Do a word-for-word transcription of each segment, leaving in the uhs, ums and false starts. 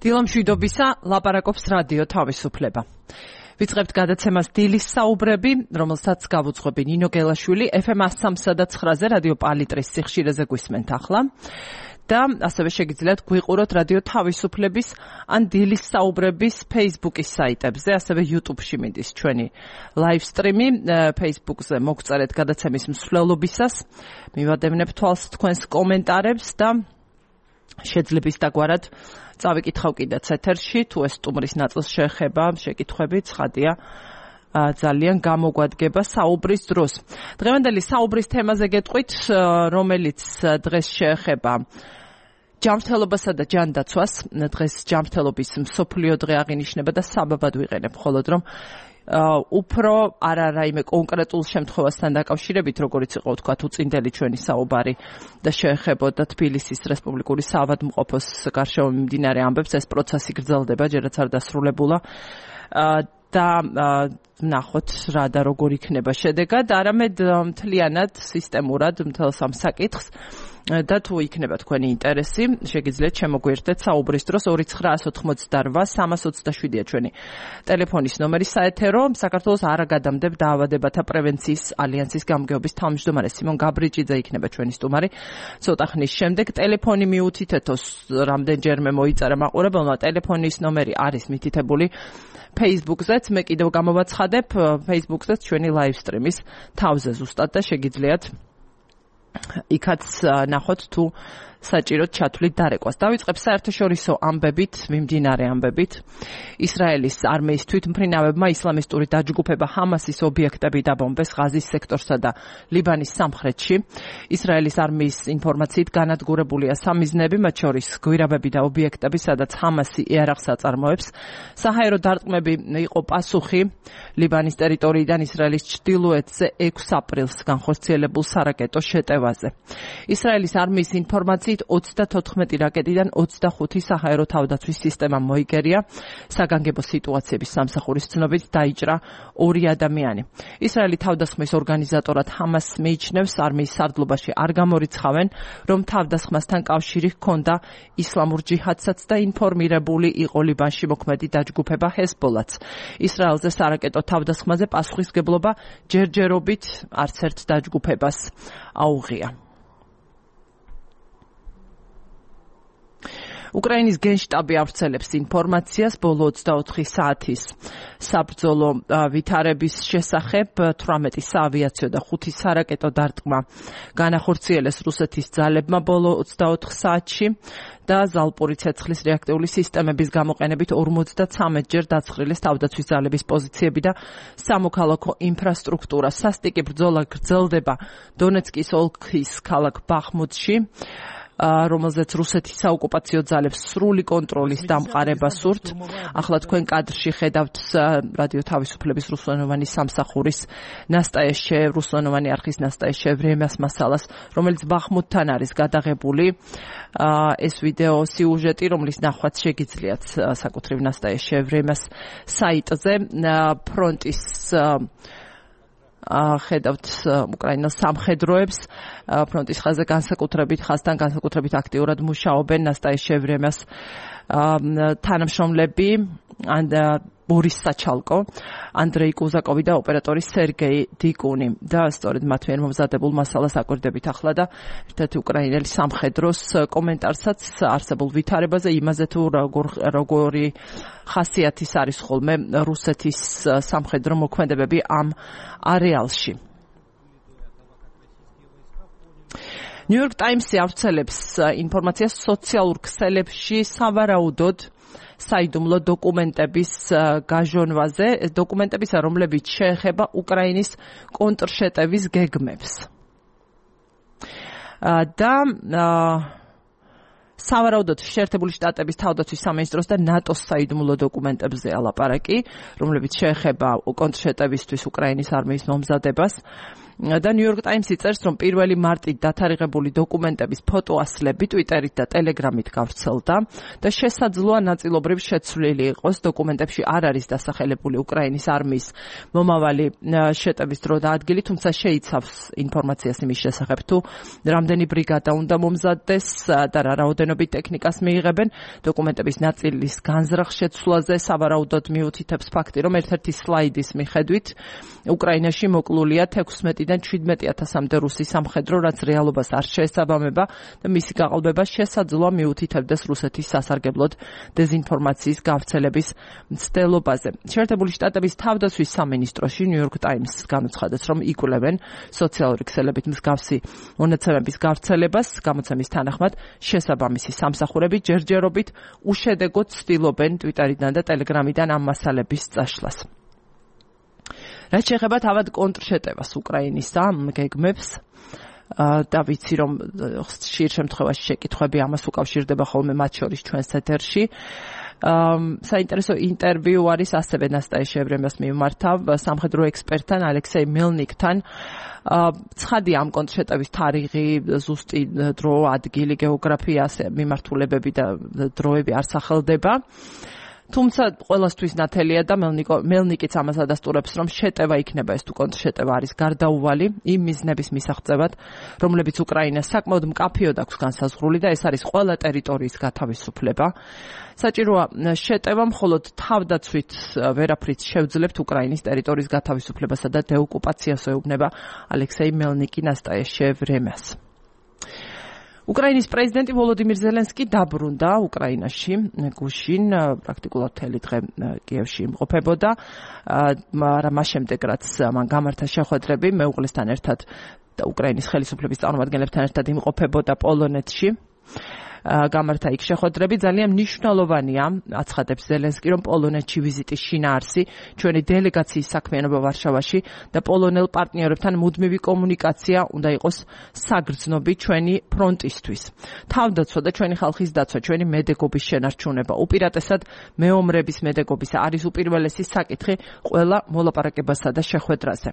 დილამშვიდობისა, ლაპარაკობს რადიო თავისუფლება. ვიწყებთ გადაცემას დილის საუბრები, რომელსაც გავუძღვები ნინო გელაშვილი, ეფ ემ one oh three point nine-ზე რადიო პალიტრის სიხშირეზე გვისმენთ ახლა. და ასევე შეგიძლიათ გვიყუროთ რადიო თავისუფლების ან დილის საუბრების Facebook-ის საიტებზე, ასევე YouTube-ში მიდის ჩვენი live stream-ი, Facebook-ზე მოგწერეთ გადაცემის მსვლელობისას, მივადევნებ თვალს თქვენს კომენტარებს და შეძლების დაგვარად წავიკითხავ კიდეც ეთერში, თუ ეს სტუმრის ნაწილს შეეხება, შეკითხვები ცხადია, ძალიან გამოგვადგება საუბრის დროს. დღევანდელი საუბრის თემაზე გეტყვით, რომელიც დღეს შეეხება ჯანმრთელობასა და ჯანდაცვას. დღეს ჯანმრთელობის მსოფლიო დღე აღინიშნება და საბაბად ვიყენებ, მხოლოდ რომ უფრო არა რაიმე კონკრეტულ შემთხვევასთან დაკავშირებით, როგორც იყო თქვა უწინდელი ჩვენი საუბარი და შეეხებოდა თბილისის რესპუბლიკური საავადმყოფოს გარშემო მიმდინარე ამბებს, ეს პროცესი გრძელდება, ჯერაც არ დასრულებულა. და ნახოთ რა და როგორ იქნება შედეგად, არამედ მთლიანად სისტემურად მთელს ამ საკითხს და თუ იქნება თქვენი ინტერესი, შეგიძლიათ შემოგვიერთდეთ საუბრის დროს ორი ცხრა ოთხ ოთხ სამას ოცდაშვიდია ჩვენი ტელეფონის ნომერი საეთერო. საქართველოს არ აგადამდებ დაავადებათა პრევენციის ალიანსის გამგეობის თავმჯდომარე სიმონ გაბრიჭიძე იქნება ჩვენი სტუმარი. ცოტა ხნის შემდეგ ტელეფონი მიუთითეთოს, რამდენჯერმე მოიწერა მაყურებელმა, ტელეფონის ნომერი არის მითითებული Facebook-ზეც, მე კიდევ გამოვაცხადებ Facebook-ზეც ჩვენი live stream-ის თავზე ზუსტად და შეგიძლიათ იქაც ნახოთ თუ საჭიროდ ჩათვლით დარეკვას. დავიწყებ საერთაშორისო ამბებით, მიმდინარე ამბებით. ისრაელის არმიის თვითმფრინავებმა ისლამისტური დაჯგუფება ჰამასის ობიექტები დაბომბეს ღაზის სექტორსა და ლიბანის სამხრეთში. ისრაელის არმიის ინფორმაციით განადგურებულია სამიზნეები, მათ შორის გვირაბები და ობიექტები, სადაც ჰამასი იარაღს აწარმოებს. საჰაერო დარტყმები იყო პასუხი ლიბანის ტერიტორიიდან ისრაელის ჩრდილოეთზე ექვსი აპრილს განხორციელებულ სარაკეტო შეტევაზე. ისრაელის არმიის ინფორმაციით ოცდათოთხმეტი რაკეტიდან ოცდახუთი საჰაერო თავდაცვის სისტემა მოიგერია. საგანგებო სიტუაციების სამსახურის ცნობით დაიჭრა ორი ადამიანი. ისრაელი თავდასხმის ორგანიზატორად ჰამასს მიიჩნევს, არმიის სარდლობაში არ გამორიცხავენ, რომ თავდასხმასთან კავშირი ჰქონდა ისლამურ ჯიჰადსაც და ინფორმირებული იყო ლიბანში მოქმედი დაჯგუფება ჰეზბოლაც. ისრაელზე სარაკეტო თავდასხმაზე პასუხისგებლობა ჯერჯერობით არც ერთ დაჯგუფებას აუღია. უკრაინის გენშტაბი ავრცელებს ინფორმაციას ბოლო ოცდაოთხი საათის საბრძოლო ვითარების შესახებ. თვრამეტი საავიაციო და ხუთი სარაკეტო დარტყმა განახორციელეს რუსეთის ძალებმა ბოლო ოცდაოთხ საათში და ზალპური ცეცხლის რეაქტიული სისტემების გამოყენებით ორმოცდათრამეტ ჯერ დაცხრილეს თავდაცვის ძალების პოზიციები და სამოქალაქო ინფრასტრუქტურა. სასტიკი ბრძოლა გრძელდება დონეცკის ოლქის ქალაქ ბახმუტში, რომელზეც რუსეთის საოკუპაციო ძალებს სრული კონტროლის დამყარება სურთ. ახლა თქვენ კადრში ხედავთ რადიო თავისუფლების რუსულენოვანი სამსახურის ნასტაეშე, რუსულენოვანი არხის ნასტაეშე ვრემიას მასალას, რომელიც ბახმუტთან არის გადაღებული. ეს ვიდეო სიუჟეტი, რომლის ნახვაც შეგიძლიათ საკუთრივ ნასტაეშე ვრემიას საიტზე. ფრონტის ხედავთ უკრაინელ სამხედროებს, ფრონტის ხაზზე განსაკუთრებით ხაზთან განსაკუთრებით აქტიურად მუშაობენ ნასტაეშე ვრემიას თანამშრომლები ბორის საჩალკო, ანდრეი კუზაკოვი და ოპერატორი სერგეი დიკუნი. და სწორედ მათ მიერ მომზადებულ მასალას აკვირდებით ახლა და ერთ-ერთი უკრაინელი სამხედროს კომენტარსაც არსებულ ვითარებაზე, იმაზე თუ როგორი ხასიათის არის ხოლმე რუსეთის სამხედრო მოქმედებები ამ არეალში. ნიუ-იორკ ტაიმსი ავრცელებს ინფორმაციას სოციალურ ქსელებში სავარაუდოდ საიდუმლო დოკუმენტების გაჟონვაზე, დოკუმენტებისა, რომლებიც შეეხება უკრაინის კონტრშეტევის გეგმებს. და სავარაუდოდ შეერთებული შტატების თავდაცვის სამინისტროს და ნატოს საიდუმლო დოკუმენტებზეა ლაპარაკი, რომლებიც შეეხება კონტრშეტევისთვის უკრაინის არმიის მომზადებას. და New York Times-ი წერს, რომ პირველი მარტით დათარიღებული დოკუმენტების ფოტოასლები Twitter-ით და Telegram-ით გავრცელდა და შესაძლოა ნაწილობრივ შეცვლილი იყოს. დოკუმენტებში არ არის დასახელებული უკრაინის არმიის მომავალი შეტევის დრო და ადგილი, თუმცა შეიცავს ინფორმაციას იმის შესახებ, თუ რამდენი ბრიგადა უნდა მომზადდეს და რა რაოდენობით ტექნიკას მიიღებენ. დოკუმენტების ნაწილის განზრახ შეცვლაზე სავარაუდოდ მიუთითებს ფაქტი, რომ ერთ-ერთი სლაიდის მიხედვით უკრაინაში მოკლულია თექვსმეტიდან შვიდმეტი ათასამდე რუსი სამხედრო, რაც რეალობას არ შეესაბამება და მისი გაყალბება შესაძლოა მიუთითებდეს რუსეთის სასარგებლოდ დეზინფორმაციის გავრცელების მცდელობაზე. შეერთებული შტატების თავდაცვის სამინისტროში New York Times განუცხადებს, რომ იკვლევენ სოციალური ქსელებით მსგავსი მონაცემების გავრცელებას. გამოცემის თანახმად შესაბამისი სამსახურები ჯერჯერობით უშედეგოდ ცდილობენ Twitter-დან და Telegram-დან ამ მასალების წაშლას. რაც შეეხება თავად კონტრშეტევას უკრაინისა გეგმებს და ვიცი, რომ ხშირ შემთხვევაში შეკითხვები ამას უკავშირდება ხოლმე მათ შორის ჩვენს ეთერში. საინტერესო ინტერვიუ არის ასევე ნასტაია შევრემას მიმართავ სამხედრო ექსპერტთან ალექსეი მელნიკთან. ცხადია ამ კონტრშეტევის თარიღი, ზუსტი დრო, ადგილი, გეოგრაფია, მიმართულებები და დროები არ სახელდება. თუმცა ყველასთვის ნათელია და მელნიკიც ამას ადასტურებს, რომ შეტევა იქნება ეს თუ კონტრშეტევა არის გარდაუვალი იმ მიზნების მისაღწევად, რომლებიც უკრაინას საკმაოდ მკაფიოდ აქვს განსაზღვრული და ეს არის ყველა ტერიტორიის გათავისუფლება. საჭიროა შეტევა მხოლოდ თავდაცვით ვერაფრით შევძლებთ უკრაინის ტერიტორიის გათავისუფლებასა და დეოკუპაციას, ეუბნება ალექსეი მელნიკი ნასტაია შევრემას. უკრაინის პრეზიდენტი ვოლოდიმირ ზელენსკი დაბრუნდა უკრაინაში, გუშინ პრაქტიკულად მთელი დღე კიევში იმყოფებოდა, მაგრამ მას შემდეგ რაც მან გამართა შეხვედრები მეუღლესთან ერთად და უკრაინის ხელისუფლების წარმომადგენლებთან ერთად იმყოფებოდა პოლონეთში. გამართა იქ შეხვედრები ძალიან მნიშვნელოვანია, აცხადებს ზელენსკი, რომ პოლონეთში ვიზიტის შინაარსი ჩვენი დელეგაციის საქმიანობა ვარშავაში და პოლონელ პარტნიორებთან მუდმივი კომუნიკაცია უნდა იყოს საგრძნობი ჩვენი ფრონტისთვის. თავდაცვა და ჩვენი ხალხის დაცვა, ჩვენი მედეგობის შენარჩუნება, უპირატესად მეომრების მედეგობისა არის უპირველესი საკითხი ყველა მოლაპარაკებასა და შეხვედრაზე.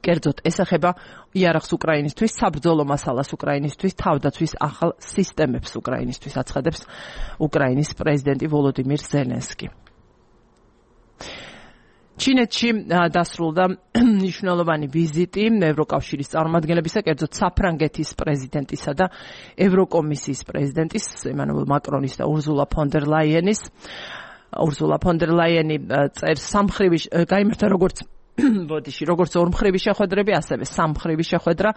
კერძოდ ეს ეხება იარაღს უკრაინისთვის, საბრძოლო მასალას უკრაინისთვის, თავდაცვის ახალ სისტემებს უკრაინისთვის, აცხადებს უკრაინის პრეზიდენტი ვოლოდიმირ ზელენსკი. ჩინეთში დასრულდა მნიშვნელოვანი ვიზიტი ევროკავშირის წარმომადგენლებისა, კერძოდ საფრანგეთის პრეზიდენტისა და ევროკომისიის პრეზიდენტის ემანუელ მაკრონის და ურზულა ფონ დერ ლაიენის. ურზულა ფონ დერ ლაიენი წერს სამხრივი გაიმართა როგორც ბოდიში, როგორც ორმხრივი შეხვედრები, ასევე სამხრივი შეხვედრა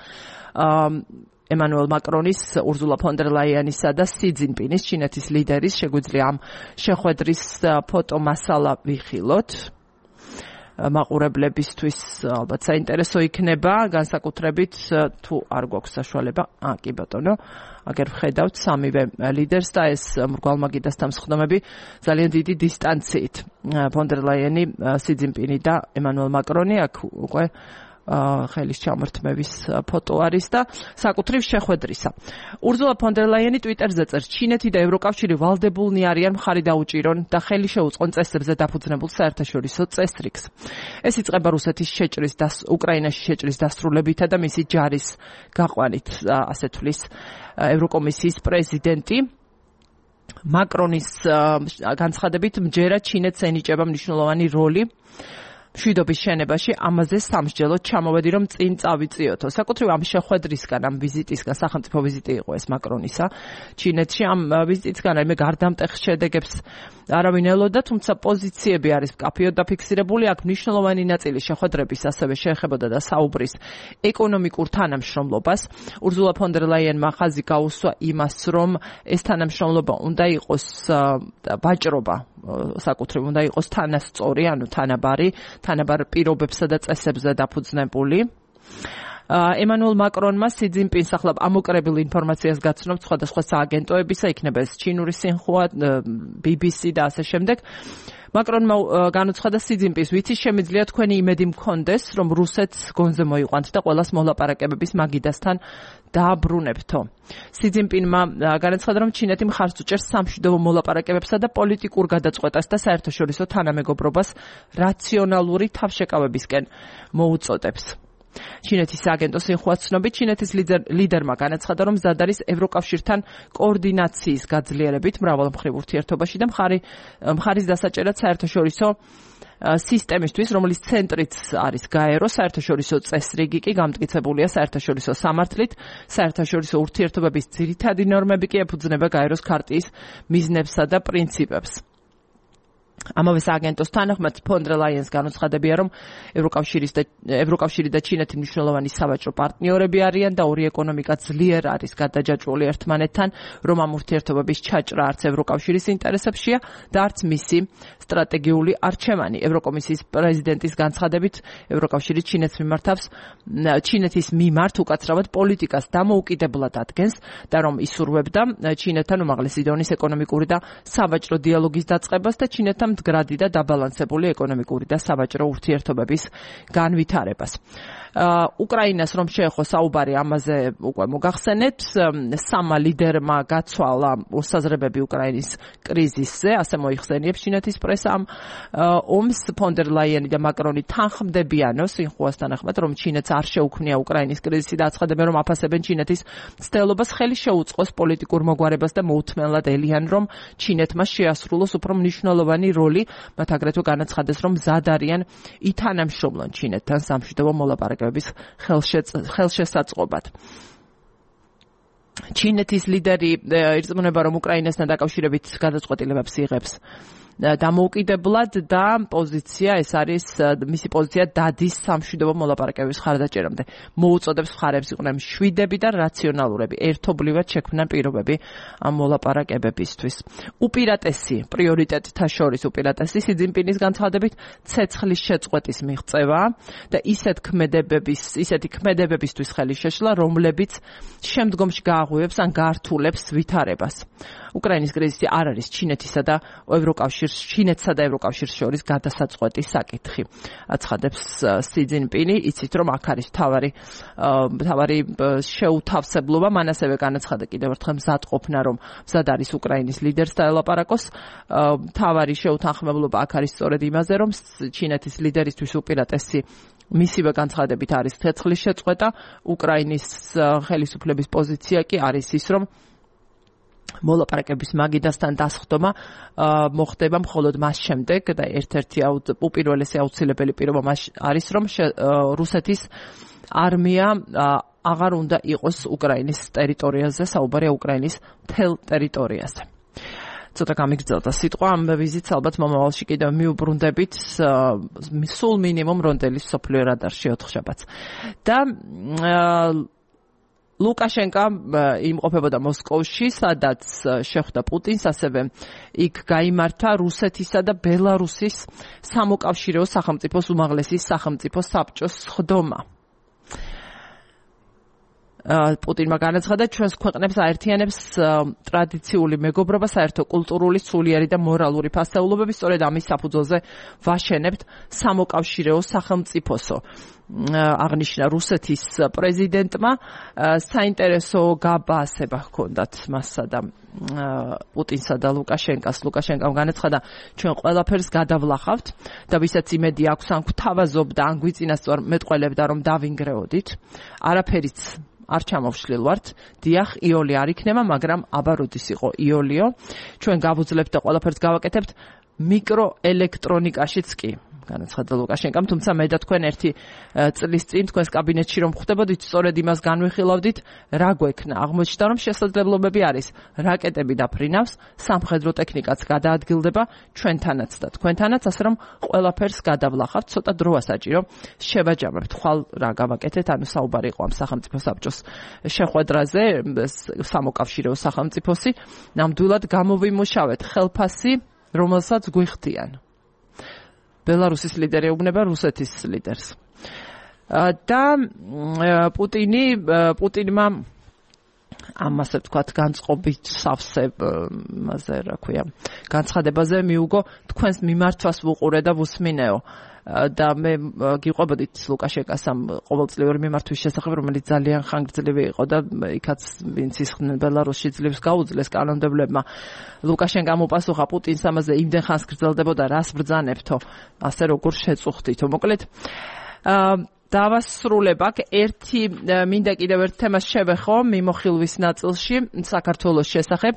ემანუელ მაკრონის, ურზულა ფონ დერ ლაიანისა და სი ძინპინის, ჩინეთის ლიდერის. შეგვიძლია ამ შეხვედრის ფოტომასალა ვიხილოთ. მაყურებლებისთვის ალბათ საინტერესო იქნება, განსაკუთრებით თუ არ გვაქვს საშუალება. აა კი ბატონო, აგერ ვხედავთ სამივე ლიდერს და ეს მრგვალმაგიდასთან მსხდომები ძალიან დიდი დისტანციით. ფონ დერ ლაიანი, სი ძინპინი და ემანუელ მაკრონი აქ უკვე ხელის ჩამორთმევის ფოტო არის და საკუთრივ შეხვედრისა. ურზულა ფონ დერ ლაიანი ტვიტერზე წერს, ჩინეთი და ევროკავშირი ვალდებულნი არიან მხარი დაუჭირონ და ხელი შეუწყონ წესრებზე დაფუძნებულ საერთაშორისო წესრიგს. ეს იწყება რუსეთის შეჭრის და უკრაინაში შეჭრის დასრულებითა და მისი ჯარის გაყვანით, ასე თვლის ევროკომისიის პრეზიდენტი. მაკრონის განცხადებით მჯერა ჩინეთს ენიჭება მნიშვნელოვანი როლი მშვიდობის შენებაში, ამაზე სამსჯელოდ ჩამოვედი, რომ წინ წავიწიოთო. საკუთრივ ამ შეხვედრისგან, ამ ვიზიტისგან, სახელმწიფო ვიზიტი იყო ეს მაკრონისა ჩინეთში, ამ ვიზიტისგან რაიმე გარდამტეხ შედეგებს არავინ ელოდა, თუმცა პოზიციები არის მკაფიოდ დაფიქსირებული. აქ მნიშვნელოვანი ნაწილი შეხვედრების ასევე შეეხებოდა და საუბრის ეკონომიკურ თანამშრომლობას. ურზულა ფონ დერ ლაიანმა ხაზი გაუსვა იმას, რომ ეს თანამშრომლობა უნდა იყოს ვაჭრობა, საკუთრივ უნდა იყოს თანასწორი, ანუ თანაბარი, თანაბარ პირობებსა და წესებზე დაფუძნებული. ემანუელ მაკრონმა სი ძინპინს ახლა ამოკრებილ ინფორმაციას გაცნობთ სხვადასხვა სააგენტოებისა, იქნება ეს ჩინური სინხუა, ბი ბი სი და ასე შემდეგ. მაკრონმა განუცხადა სი ძინპინს, ვიცი შემიძლია თქვენი იმედი მქონდეს, რომ რუსეთს გონზე მოიყვანთ და ყველას მოლაპარაკებების მაგიდასთან დააბრუნებთო. სი ძინპინმა განაცხადა, რომ ჩინეთი მხარს უჭერს სამშვიდობო მოლაპარაკებებსა და პოლიტიკურ გადაწყვეტას და საერთაშორისო თანამეგობრობას რაციონალური თავშეკავებისკენ მოუწოდებს. ჩინეთის სააგენტოს ინხუას ცნობით, ჩინეთის ლიდერმა განაცხადა, რომ მზად არის ევროკავშირთან კოორდინაციის გაძლიერებით მრავალმხრივ ურთიერთობაში და მხარის დასაჭერად საერთაშორისო სისტემისთვის, რომლის ცენტრიც არის გაერო, საერთაშორისო წესრიგი კი გამტკიცებულია საერთაშორისო სამართლით, საერთაშორისო ურთიერთობების ძირითადი ნორმები კი ეფუძნება გაეროს ქარტიის მიზნებსა და პრინციპებს. ამავე სააგენტოს თანახმად ფონ დერ ლაიენს განუცხადებია, რომ ევროკავშირის და ევროკავშირი და ჩინეთი მნიშვნელოვანი სავაჭრო პარტნიორები არიან და ორი ეკონომიკა ძლიერ არის გადაჯაჭვული ერთმანეთთან, რომ ამ ურთიერთობების ჩაჭრა არც ევროკავშირის ინტერესებშია და არც მისი სტრატეგიული არჩევანი. ევროკომისიის პრეზიდენტის განცხადებით, ევროკავშირი ჩინეთს მიმართავს ჩინეთის მიმართ უკაცრავად პოლიტიკას დამოუკიდებლად ადგენს და რომ ისურვებდა ჩინეთთან უმაღლესი დონის ეკონომიკური და სავაჭრო დიალოგის დაწყებას და ჩინეთთან მდგრადი და დაბალანსებული ეკონომიკური და სავაჭრო ურთიერთობების განვითარებას. უკრაინას რომ შეეხო საუბარი ამაზე უკვე მოგახსენეთ, სამა ლიდერმა გაცვალა მოსაზრებები უკრაინის კრიზისზე, ასე მოიხსენიებს ჩინეთის პრესამ ომს. ფონ დერ ლაიენი და მაკრონი თანხმდებიანო სინხუას თანახმად, რომ ჩინეთს არ შეუქმნია უკრაინის კრიზისი და აცხადებენ, რომ აფასებენ ჩინეთის მცდელობას ხელი შეუწყოს პოლიტიკურ მოგვარებას და მოუთმენლად ელიან, რომ ჩინეთმა შეასრულოს უფრო მნიშვნელოვანი როლი, მათ აგრეთვე განაცხადეს, რომ მზად არიან ითანამშრომლონ ჩინეთთან სამშვიდობო მოლაპარაკებების ხელშესაწყობად. ჩინეთის ლიდერი ირწმუნება, რომ უკრაინასთან დაკავშირებით გადაწყვეტილებებს იღებს დამოუკიდებლად და პოზიცია ეს არის მისი პოზიცია დადის სამშვიდობო მოლაპარაკებების ხარდაჭერამდე. მოუწოდებს მხარებს იყვნენ მშვიდები და რაციონალურები, ერთობლივად შექმნან პირობები ამ მოლაპარაკებებისთვის. უპირატესი პრიორიტეტთა შორის უპირატესი სი ძინპინის განცხადებით ცეცხლის შეწყვეტის მიღწევა და ისეთ ქმედებების, ისეთი ქმედებებისთვის ხელი შეშლა, რომლებიც შემდგომში გააღვივებს ან გაართულებს ვითარებას. უკრაინის კრიზისი არ არის ჩინეთისა და ევროკავშირის ჩინეთსა და ევროკავშირს შორის გადასაწყვეტი საკითხი. აცხადებს სი ძინპინი, იცით რომ აქ არის თავარი თავარი შეუთავსებლობა, მან ასევე განაცხადა კიდევ ერთხელ მზად ყოფნა, რომ მზად არის უკრაინის ლიდერს დაელაპარაკოს. თავარი შეუთანხმებლობა აქ არის სწორედ იმაზე, რომ ჩინეთის ლიდერისთვის უპირატესი მისივე განცხადებით არის ცეცხლის შეწყვეტა, უკრაინის ხელისუფლების პოზიცია კი არის ის, რომ მოლაპარაკების მაგიდასთან დასხდომა მოხდება მხოლოდ მას შემდეგ და ერთ-ერთი უპირველესი აუცილებელი პირობა მას არის, რომ რუსეთის არმია აღარ უნდა იყოს უკრაინის ტერიტორიაზე, საუბარია უკრაინის მთელ ტერიტორიაზე. ცოტა გამიგრძელდა სიტყვა, ამ ვიზიტს ალბათ მომავალში კიდევ მიუბრუნდებით სულ მინიმუმ რონდელის სოფლიო რადარში ოთხშაბათს. და ლუკაშენკა იმყოფებოდა მოსკოვში, სადაც შეხვდა პუტინს, ასევე იქ გაიმართა რუსეთისა და ბელარუსის სამოკავშირეო სახელმწიფოს უმაღლესი სახელმწიფო საბჭოს სხდომა. პუტინმა განაცხადა, ჩვენს ქვეყნებს აერთიანებს ტრადიციული მეგობრობა, საერთო კულტურული, სულიერი და მორალური ფასეულობები, სწორედ ამის საფუძველზე ვაშენებთ სამოკავშირეო სახელმწიფოსო. აღნიშნა რუსეთის პრეზიდენტმა, საინტერესო გაბასება ჰქონდათ მასსა და პუტინსა და ლუკაშენკას. ლუკაშენკამ განაცხადა, ჩვენ ყველაფერს გადავლახავთ და ვისაც იმედი აქვს, ან გვთავაზობდა, ან გვიწინასწარ მეტყველებდა, რომ დავინგრეოდით, არაფერიც არ ჩამოვშლილ ვართ. დიახ, იოლი არ იქნება, მაგრამ აბა როდის იყო იოლიო. ჩვენ გავუძლებთ და ყველაფერს გავაკეთებთ მიკროელექტრონიკაშიც კი. განაცხადა ლუკაშენკამ, თუმცა მე და თქვენ ერთი წლის წინ თქვენს კაბინეტში რომ ხვდებოდით, სწორედ იმას განვიხილავდით, რა გვექნა. აღმოჩნდა, რომ შესაძლებლობები არის. რაკეტები დაფრინავს, სამხედრო ტექნიკაც გადაადგილდება ჩვენთანაც და თქვენთანაც, ასე რომ ყველაფერს გადავლახავთ, ცოტა დროა საჭირო შევაჯამებთ. ხვალ რა გავაკეთეთ, ანუ საუბარი იყო ამ სახელმწიფო საბჭოს შეხვედრაზე, სამოკავშირეო სახელმწიფოსი, ნამდვილად გამოვიმუშავეთ ხელფასი, რომელსაც გვიხდიან. ბელარუსის ლიდერი ეუბნება რუსეთის ლიდერს. და პუტინი პუტინმა ამასე ვთქვათ განწყობით სავსე მასე რა ქვია განცხადებაზე მიუგო, თქვენს მიმართვას ვუყურე და ვუსმინეო. და მე გიყვებოდით ლუკაშენკას ამ ყოველწლიური მიმართვის შესახებ, რომელიც ძალიან ხანგრძლივი იყო და იქაც ვინც ისხდნენ ბელარუსში ძლივს გაუძლეს კანონმდებლებმა. ლუკაშენკამ უპასუხა, პუტინს ამაზე იმდენ ხანს გრძელდებოდა, რას ბრძანებთო, ასე როგორ შეწუხდითო. მოკლედ დავასრულებ აქ ერთი მინდა კიდევ ერთ თემას შევეხო მიმოხილვის ნაწილში საქართველოს შესახებ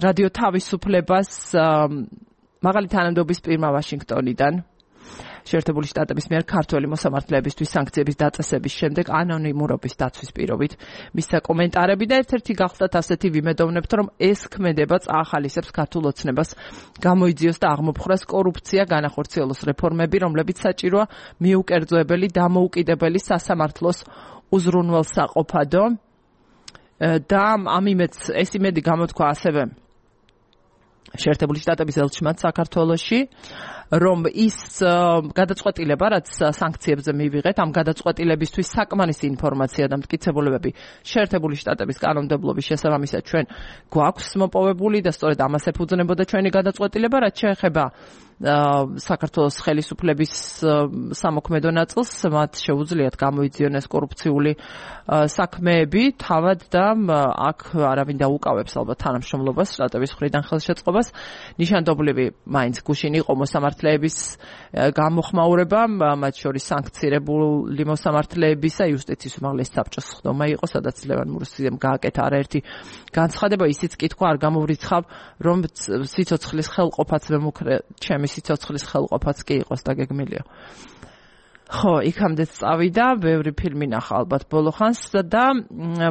რადიო თავისუფლებას მაღალი თანამდებობის პირმა ვაშინგტონიდან შეერთებული შტატების მიერ ქართველი მოსამართლეებისთვის სანქციების დაწესების შემდეგ ანონიმურობის დაცვის პირობით მისცა კომენტარები და ერთ-ერთი გახლდათ ასეთი ვიმედოვნებთ, რომ ეს ქმედება წაახალისებს ქართულ ოცნებას გამოიძიოს და აღმოფხვრას კორუფცია, განახორციელოს რეფორმები, რომლებიც საჭიროა მიუკერძოებელი, დამოუკიდებელი სასამართლოს უზრუნველსაყოფადო და ამ იმედს ეს იმედი გამოთქვა ასევე შეერთებული შტატების ელჩმან საქართველოში, რომ ის გადაწყვეტილება, რაც სანქციებზე მივიღეთ, ამ გადაწყვეტილებისთვის საკმარისი ინფორმაცია და მტკიცებულებები შეერთებული შტატების კანონმდებლობის შესაბამისად ჩვენ გვაქვს მოპოვებული და სწორედ ამას ეფუძნებოდა ჩვენი გადაწყვეტილება, რაც შეეხება საქართველოს ხელისუფლების სამოქმედო ნაწილს, მათ შეუძლიათ გამოიძიონ ეს კორუფციული საქმეები, თავად და აქ არავინ დაუკავებს ალბათ თანამშრომლობას, შტატების მხრიდან ხელშეწყობას. ნიშანდობლივი მაინც გუშინ იყო მოსამართლეების გამოხმაურება, მათ შორის სანქცირებული მოსამართლეებისა იუსტიციის უმაღლესი საბჭოს ხდომა იყო, სადაც ლევან მურსიძემ გააკეთა არაერთი განცხადება, ისიც კითხვა არ გამოვრიცხავ, რომ სიცოცხლის ხელყოფაც მემუქრე ჩემი სიცოცხლის ხელყოფაც კი იყოს და გეგმილიო. ხო, იქამდე წავიდა, ბევრი ფილმი ნახა ალბათ ბოლო ხანს და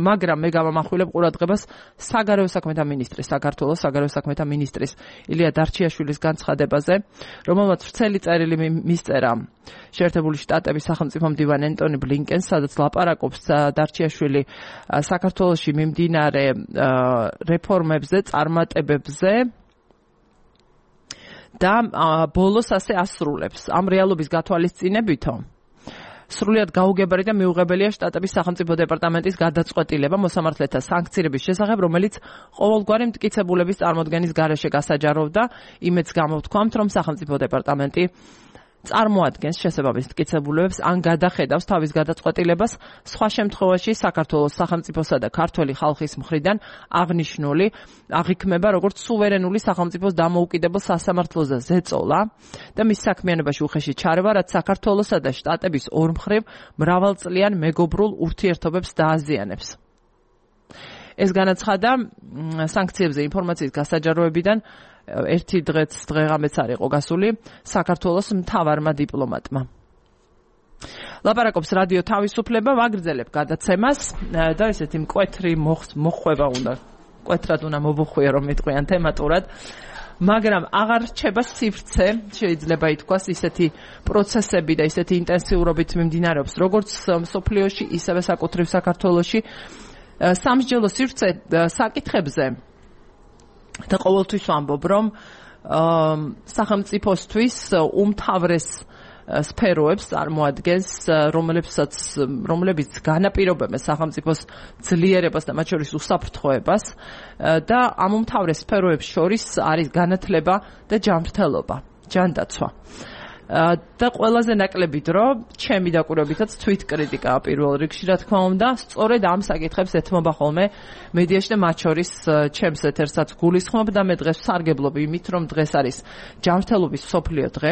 მაგრამ მე გავამახვილებ ყურადღებას საგარეო საქმეთა მინისტრის, საქართველოს საგარეო საქმეთა მინისტრის ილია დარჩიაშვილის განცხადებაზე, რომელმაც ვრცელი წერილი მისწერა შეერთებული შტატების სახელმწიფო მდივან ენტონი ბლინკენს, სადაც ლაპარაკობს დარჩიაშვილი საქართველოში მიმდინარე რეფორმებზე, წარმატებებზე და ბოლოს ასე ასრულებს. ამ რეალობის გათვალისწინებითო სრულიად გაუგებარი და მიუღებელია შტატების სახელმწიფო დეპარტამენტის გადაწყვეტილება მოსამართლეთა სანქცირების შესახებ, რომელიც ყოველგვარი მტკიცებულების წარმოდგენის გარეშე გასაჯაროვდა. იმედს გამოთქვამთ, რომ სახელმწიფო დეპარტამენტი წარმოადგენს შესაბამის მტკიცებულებებს ან გადახედავს თავის გადაწყვეტილებას, სხვა შემთხვევაში საქართველოს სახელმწიფოსა და ქართველი ხალხის მხრიდან აღნიშნული აღიქმება როგორც სუვერენული სახელმწიფოს დამოუკიდებელ სასამართლოზე ზეწოლა და მის საქმიანობაში უხეში ჩარევა, რაც საქართველოსა და შტატების ორმხრივ მრავალწლიან მეგობრულ ურთიერთობებს დააზიანებს. ეს განაცხადა სანქციებზე ინფორმაციის გასაჯაროებიდან ერთი დღეც დღეღამეც არ იყო გასული საქართველოს მთავარმა დიპლომატმა. ლაპარაკობს რადიო თავისუფლება, ვაგრძელებ გადაცემას და ესეთი მკვეთრი მოხვება უნდა, მკვეთრად უნდა მოვუხვიე, რომ მიტყვიან თემატურად, მაგრამ აღარ რჩება სივრცე, შეიძლება ითქვას, ისეთი პროცესები და ისეთი ინტენსიურობით მიმდინარეობს, როგორც მსოფლიოში, ისევე საკუთრივ საქართველოში. სამსჯელო სივრცე საკითხებზე და ყოველთვის ვამბობ, რომ სახელმწიფოსთვის უმთავრეს სფეროებს წარმოადგენს, რომლებსაც რომლებიც განაპირობებენ სახელმწიფოს ძლიერებას და მათ შორის უსაფრთხოებას და ამ უმთავრეს სფეროებს შორის არის განათლება და ჯანმრთელობა, ჯანდაცვა. და ყველაზე ნაკლები დრო ჩემი დაკვირვებითაც თვით კრიტიკაა პირველ რიგში, რა თქმა უნდა, სწორედ ამ საკითხებს ეთმობა ხოლმე მედიაში და მათ შორის ჩემს ეთერსაც გულისხმობ და მე დღეს ვსარგებლობ იმით, რომ დღეს არის ჯანმრთელობის მსოფლიო დღე,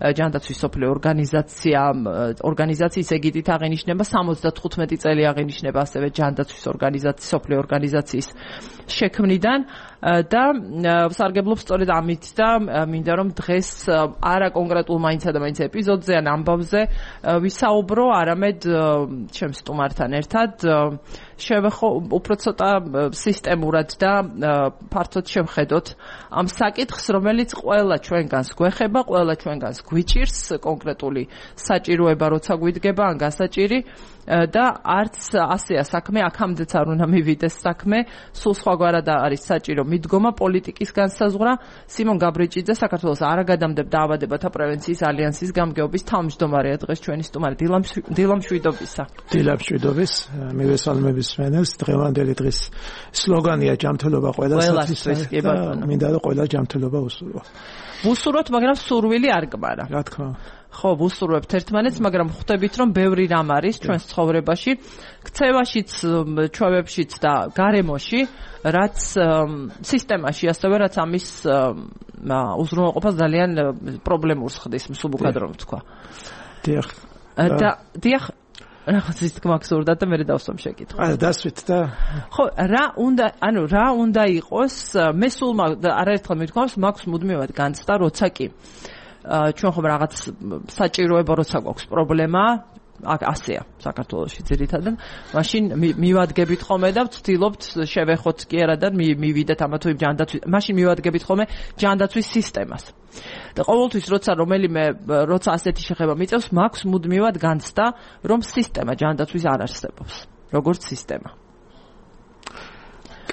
ჯანდაცვის მსოფლიო ორგანიზაცია, ორგანიზაციის ეგიდით აღინიშნება, სამოცდათხუთმეტი წელი აღინიშნება ასევე ჯანდაცვის ორგანიზაციის, მსოფლიო ორგანიზაციის შექმნიდან და ვსარგებლობ სწორედ ამით და მინდა რომ დღეს არა კონკრეტულ მაინც და მაინც ეპიზოდზე ან ამბავზე ვისაუბრო, არამედ ჩემს სტუმართან ერთად შევეხო უფრო ცოტა სისტემურად და ფართოდ შევხედოთ ამ საკითხს, რომელიც ყველა ჩვენგანს გვეხება, ყველა ჩვენგანს გვიჭირს კონკრეტული საჭიროება, როცა გვიდგება ან გასაჭირი და არც ასეა საქმე, აქამდეც არ უნდა მივიდეს საქმე, სულ სხვაგვარად არის საჭირო მიდგომა პოლიტიკის განსაზღვრა. სიმონ გაბრიჭიძე, საქართველოს არაგადამდებ დაავადებათა პრევენციის ალიანსის გამგეობის თავმჯდომარეა დღეს ჩვენი სტუმარი. დილა მშვიდობისა. დილა მშვიდობის, მივესალმების მენელს. დღევანდელი დღის სლოგანია ჯანმრთელობა ყველასათვის. მინდა რომ ყველა ჯანმრთელობა უსურვა. ვუსურვოთ, მაგრამ სურვილი არ გმარა. რა თქმა უნდა. ხო, ვუსურვებთ ერთმანეთს, მაგრამ ხვდებით, რომ ბევრი რამ არის ჩვენს ცხოვრებაში, ქცევაშიც, ჩვევებშიც და გარემოში, რაც სისტემაში, ასევე რაც ამის უზრუნველყოფას ძალიან პრობლემურს ხდის, მსუბუქად რომ ვთქვა. დიახ, და დიახ რაღაც ის თქმა გსურდა და მე დავსვამ შეკითხვა. აა დასვით და ხო, რა უნდა, ანუ რა უნდა იყოს, მე სულ არაერთხელ მithქვამს, მაქვს მუდმივად განცდა, როცა კი ჩვენ ხომ რაღაც საჭიროება როცა გვაქვს პრობლემა, აქ ასეა საქართველოში ძირითადად, მაშინ მივადგებით ხოლმე და ვცდილობთ შევეხოთ კი არა და მივიდეთ ამა თუ იმ ჯანდაცვის, მაშინ მივადგებით ხოლმე ჯანდაცვის სისტემას. და ყოველთვის როცა რომელიმე როცა ასეთი შეხება მიწევს, მაქვს მუდმივად განცდა, რომ სისტემა ჯანდაცვის არ არსებობს, როგორც სისტემა.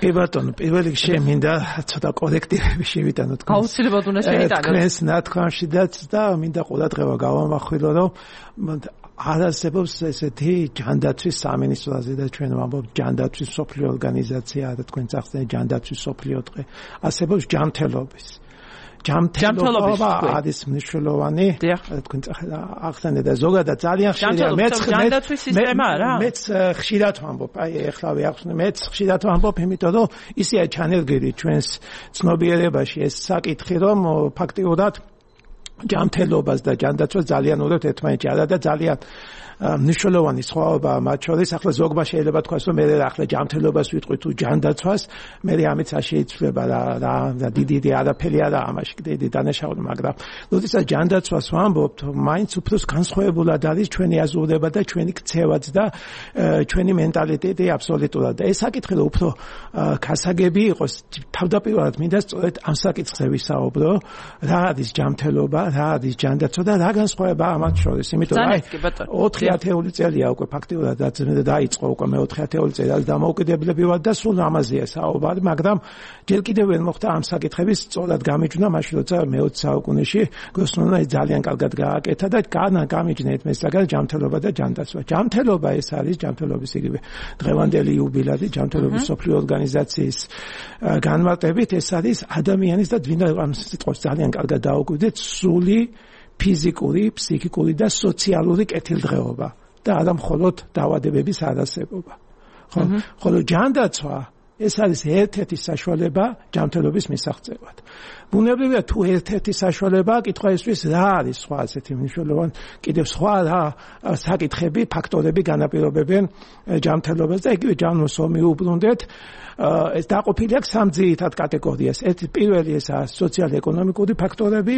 კი ბატონო, პირველ რიგში მინდა ცოტა კორექტივები შევიტანო თქვენ. აუცილებლად უნდა შევიტანოთ. თქვენს ნათქვამშიდაც და მინდა ყურადღება გავამახვილო, რომ არ არსებობს ესეთი ჯანდაცვის სამინისტროზე და ჩვენ ვამბობთ ჯანდაცვის სოფლიო ორგანიზაცია და თქვენ წახსნით ჯანდაცვის სოფლიო დღე. არსებობს ჯანმრთელობის. ჯანმრთელობა არის მნიშვნელოვანი. თქვენ ახსენეთ და ზოგადად ძალიან ხშირია მეც ჯანდაცვის სისტემაა რა. მეც ხშირად ვამბობ, აი ეხლავე ახსნე, მეც ხშირად ვამბობ, იმიტომ რომ ისეა ჩანერგილი ჩვენს ცნობიერებაში ეს საკითხი, რომ ფაქტიურად ჯანმრთელობას და ჯანდაცვას ძალიან უერთდება ერთმანეთში არა და ძალიან მნიშვნელოვანი სხვაობა მათ შორის. ახლა ზოგმა შეიძლება თქვას, რომ მე ახლა ჯანმრთელობას ვიტყვი თუ ჯანდაცვას, მე ამით შეიცვლება რა რა დიდი არაფერი არა ამაში დიდი დანაშაული, მაგრამ როდესაც ჯანდაცვას ვამბობთ, მაინც უფრო განსხვავებულად არის ჩვენი აზროვნება და ჩვენი ქცევაც და ჩვენი მენტალიტეტი აბსოლუტურად. და ეს საკითხი რომ უფრო გასაგები იყოს, თავდაპირველად მინდა სწორედ ამ საკითხზე ვისაუბრო, რა არის ჯანმრთელობა, რა არის ჯანდაცვა და რა განსხვავება ამათ შორის. იმიტომ რომ აი ოთხი ათეული წელია უკვე ფაქტიურად დაიწყო უკვე მე ოთხი ათეული წელი არის დამოუკიდებლები ვარ და სულ ამაზეა საუბარი, მაგრამ ჯერ კიდევ ვერ მოხდა ამ საკითხების სწორად გამიჯვნა მაშინ როცა მეოცე საუკუნეში გოსმონმა ძალიან კარგად გააკეთა და განა გამიჯნეთ მე საგან ჯანმრთელობა და ჯანდაცვა. ჯანმრთელობა ეს არის ჯანმრთელობის იგივე დღევანდელი იუბილეი ჯანმრთელობის სოფლიო ორგანიზაციის განმარტებით ეს არის ადამიანის და ვინ ამ სიტყვას ძალიან კარგად დაუკვირდეთ სული ფიზიკური, ფსიქიკური და სოციალური კეთილდღეობა და არა მხოლოდ დაავადებების არარსებობა. ხო, ხოლო ჯანდაცვა ეს არის ერთ-ერთი საშუალება ჯანმრთელობის მისაღწევად. ბუნებრივია თუ ერთ-ერთი საშუალება, კითხვა ისვის რა არის სხვა ასეთი მნიშვნელოვანი, კიდევ სხვა რა საკითხები, ფაქტორები განაპირობებენ ჯანმრთელობას და იგივე ჯანმრთელობას მიუბრუნდეთ. ეს დაყოფილი აქვს სამ ძირითად კატეგორიას. ერთი პირველი ესაა სოციალ-ეკონომიკური ფაქტორები,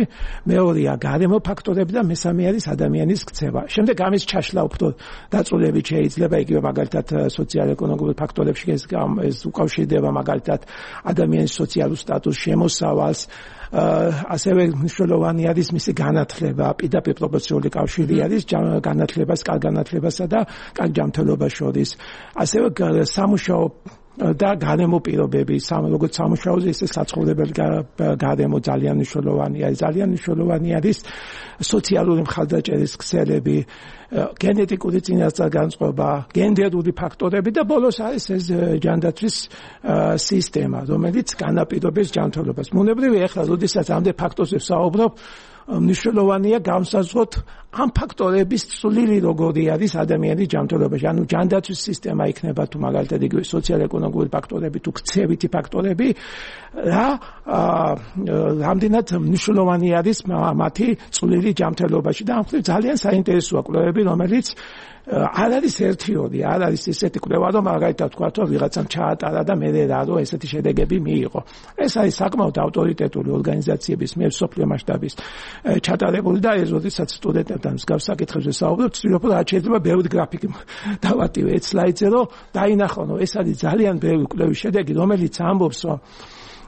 მეორეა გარემო ფაქტორები და მესამე არის ადამიანის ქცევა. შემდეგ ამის ჩაშლა უფრო დაწვრილებით შეიძლება იგივე მაგალითად სოციალ-ეკონომიკურ ფაქტორებში ეს ეს უკავშირდება მაგალითად ადამიანის სოციალურ სტატუსს, შემოსავალს, ასევე მნიშვნელოვანი არის მისი განათლება, პირდაპირ პროპორციული კავშირი არის განათლებას, კარგ განათლებასა და კარგ ჯანმრთელობას შორის. ასევე სამუშაო და გარემო პირობები, როგორც სამუშაოზე, ისე საცხოვრებელი გარემო ძალიან მნიშვნელოვანია. ძალიან მნიშვნელოვანი არის სოციალური მხარდაჭერის ქსელები, გენეტიკური წინასწარმეტყველება, გენდერული ფაქტორები და ბოლოს არის ეს ჯანდაცვის სისტემა, რომელიც განაპირობებს ჯანმრთელობას. ბუნებრივია, ახლა როდესაც ამდენ ფაქტორზე ვსაუბრობ, მნიშვნელოვანია განსაზღვროთ ამ ფაქტორების წვლილი როგორი არის ადამიანის ჯანმრთელობაში. ანუ ჯანდაცვის სისტემა იქნება თუ მაგალითად იგივე სოციალ-ეკონომიკური ფაქტორები თუ ქცევითი ფაქტორები, რა რამდენად მნიშვნელოვანი არის მათი წვლილი ჯანმრთელობაში და ამ ხრივ ძალიან საინტერესოა კვლევები, რომელიც არ არის ერთიორი, არ არის ისეთი კვლევა, რომ მაგალითად თქვა, რომ ვიღაცამ ჩაატარა და მე რა რომ ესეთი შედეგები მიიღო. ეს არის საკმაოდ ავტორიტეტული ორგანიზაციების მიერ სოფლიო მასშტაბის ჩატარებული და ეს როდესაც სტუდენტებთან მსგავს საკითხებზე საუბრობ, ვცდილობ რა შეიძლება ბევრი გრაფიკი დავატივე ეს სლაიდზე, რომ დაინახონ, რომ ეს არის ძალიან ბევრი კვლევის შედეგი, რომელიც ამბობს, რომ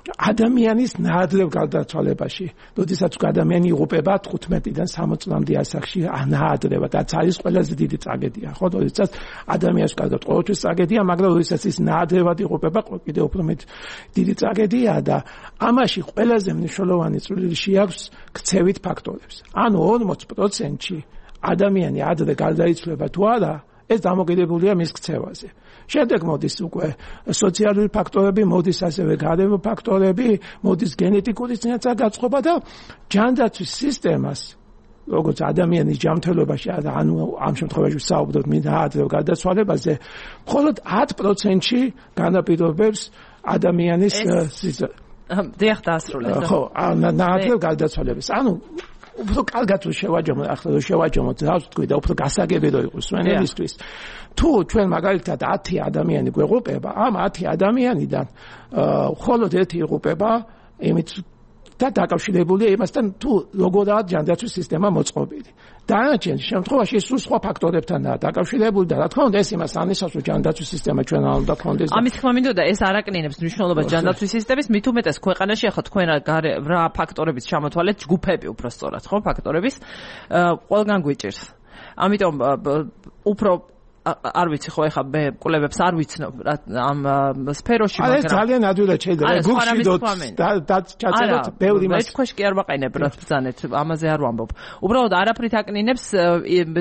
ადამიანის ნაადრევ გარდაცვალებაში, როდესაც ადამიანი იღუპება თხუთმეტიდან სამოცი წლამდე ასაკში, ნაადრევად, რაც არის ყველაზე დიდი ტრაგედია, ხო, როდესაც ადამიანს კარგად ყოველთვის ტრაგედია, მაგრამ როდესაც ის ნაადრევად იღუპება, კიდევ უფრო მეტი დიდი ტრაგედია და ამაში ყველაზე მნიშვნელოვანი წვლილი შეაქვს ქცევით ფაქტორებს. ანუ ორმოცი პროცენტში ადამიანი ადრე გარდაიცვლება თუ არა, ეს დამოკიდებულია მის ქცევაზე. შემდეგ მოდის უკვე სოციალური ფაქტორები, მოდის ასევე გარემო ფაქტორები, მოდის გენეტიკური წინასწარმეტყველება და ჯანდაცვის სისტემას, როგორც ადამიანის ჯანმრთელობაში, ანუ ამ შემთხვევაში ვსაუბრობთ ნაადრევ გარდაცვალებაზე, მხოლოდ ათი პროცენტში განაპირობებს ადამიანის დიახ, დაასრულეთ. ხო, ნაადრევ გარდაცვალებას. ანუ უფრო კარგად რო შევაჯამოთ, ახლა რო შევაჯამოთ, რას თქვი და უფრო გასაგები რო იყოს სვენელისთვის. თუ ჩვენ მაგალითად ათი ადამიანი გვეღუპება, ამ ათი ადამიანიდან მხოლოდ ერთი იღუპება იმით და დაკავშირებულია იმასთან, თუ როგორაა ჯანდაცვის სისტემა მოწყობილი. დანარჩენ შემთხვევაში სულ სხვა ფაქტორებთანაა დაკავშირებული და რა თქმა უნდა ეს იმას ანისავს, რომ ჯანდაცვის სისტემა ჩვენ არ უნდა გქონდეს. ამის თქმა მინდოდა ეს არ აკნინებს მნიშვნელობას ჯანდაცვის სისტემის, მით უმეტეს ქვეყანაში ახლა თქვენ რა ფაქტორების ჩამოთვალეთ, ჯგუფები უფრო სწორად, ხო, ფაქტორების ყველგან გვიჭირს. ამიტომ უფრო არ ვიცი ხო ეხა მე კვლევებს არ ვიცნობ ამ სფეროში მაგრამ ეს ძალიან ადვილად შეიძლება გუგლიდოთ და ჩაწეროთ ბევრი მას ეს ქვეშ კი არ ვაყენებ რა ბრძანეთ ამაზე არ ვამბობ უბრალოდ არაფრით აკნინებს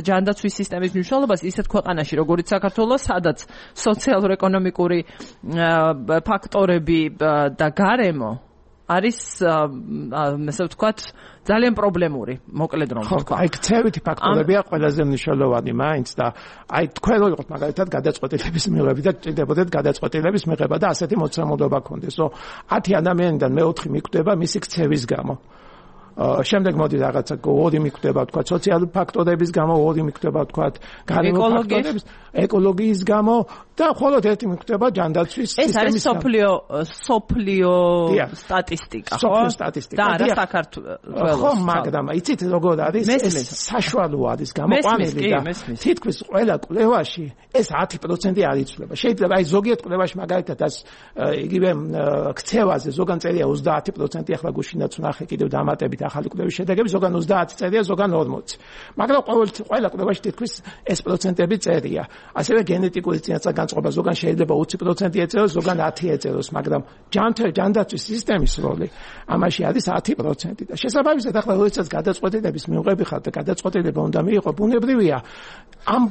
ჯანდაცვის სისტემის მნიშვნელობას ისეთ ქვეყანაში როგორც საქართველოს სადაც სოციალურ-ეკონომიკური ფაქტორები და გარემო არის ასე ვთქვათ ძალიან პრობლემური, მოკლედ რომ ვთქვა. აი, ქცევითი ფაქტორებია ყველაზე მნიშვნელოვანი, მაინც და აი თქვენ რო იყოთ მაგალითად გადაწყვეტილების მიღება და ჭირდებოდეთ გადაწყვეტილების მიღება და ასეთი მოცემულობა გქონდეს, რომ ათი ადამიანიდან მეოთხე მიკვდება მისი ქცევის გამო. შემდეგ მოდი რაღაცა ორი მიკვდება თქვა სოციალური ფაქტორების გამო, ორი მიკვდება თქვა გარემო ფაქტორების, ეკოლოგიის გამო და მხოლოდ ერთი მიკვდება ჯანდაცვის სისტემის გამო. ეს არის სოფლიო სოფლიო სტატისტიკა, ხო? სოფლიო სტატისტიკა. და არა საქართველოს. ხო, მაგრამ იცით როგორ არის? ეს საშუალო არის გამოყვანილი და თითქმის ყველა კვლევაში ეს ათი პროცენტი არ იცვლება. შეიძლება აი ზოგიერთ კვლევაში მაგალითად ეს იგივე ქცევაზე ზოგან წერია ოცდაათი პროცენტი ახლა გუშინაც ვნახე კიდევ დამატებით ახალი კვლევის შედეგები ზოგან ოცდაათი წერია ზოგან ორმოცი მაგრამ ყოველ ყველა კვლევაში თითქმის ეს პროცენტები წერია ასევე გენეტიკური წინასწარ განწყობა ზოგან შეიძლება ოცი პროცენტი ეწეროს ზოგან ათი ეწეროს მაგრამ ჯანდაცვის სისტემის როლი ამაში არის ათი პროცენტი და შესაბამისად ახლა როდესაც გადაწყვეტილების მიღები ხარ და გადაწყვეტილება უნდა მიიღო ბუნებრივია ამ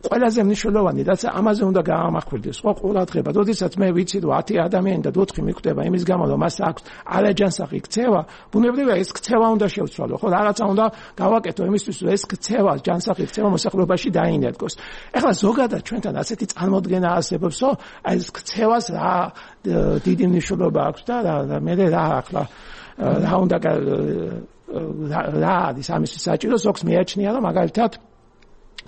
ყველაზე მნიშვნელოვანი რაც ამაზე უნდა გაამახვილდეს სხვა ყურადღება როდესაც მე ვიცი რომ ათი ადამიანი და ოთხი მიკვდება იმის გამო რომ მას აქვს არაჯანსაღი ქცევა ბუნებრივია ეს ქცევა უნდა შევცვალო ხო რაღაცა უნდა გავაკეთო იმისთვის რომ ეს ქცევა ჯანსაღი ქცევა მოსახლეობაში დაინერგოს ეხლა ზოგადად ჩვენთან ასეთი წარმოდგენა არსებობს რომ აი ეს ქცევას რა დიდი მნიშვნელობა აქვს და მე რა ახლა რა უნდა რა არის ამის საჭირო ზოგს მეაჩნია რომ მაგალითად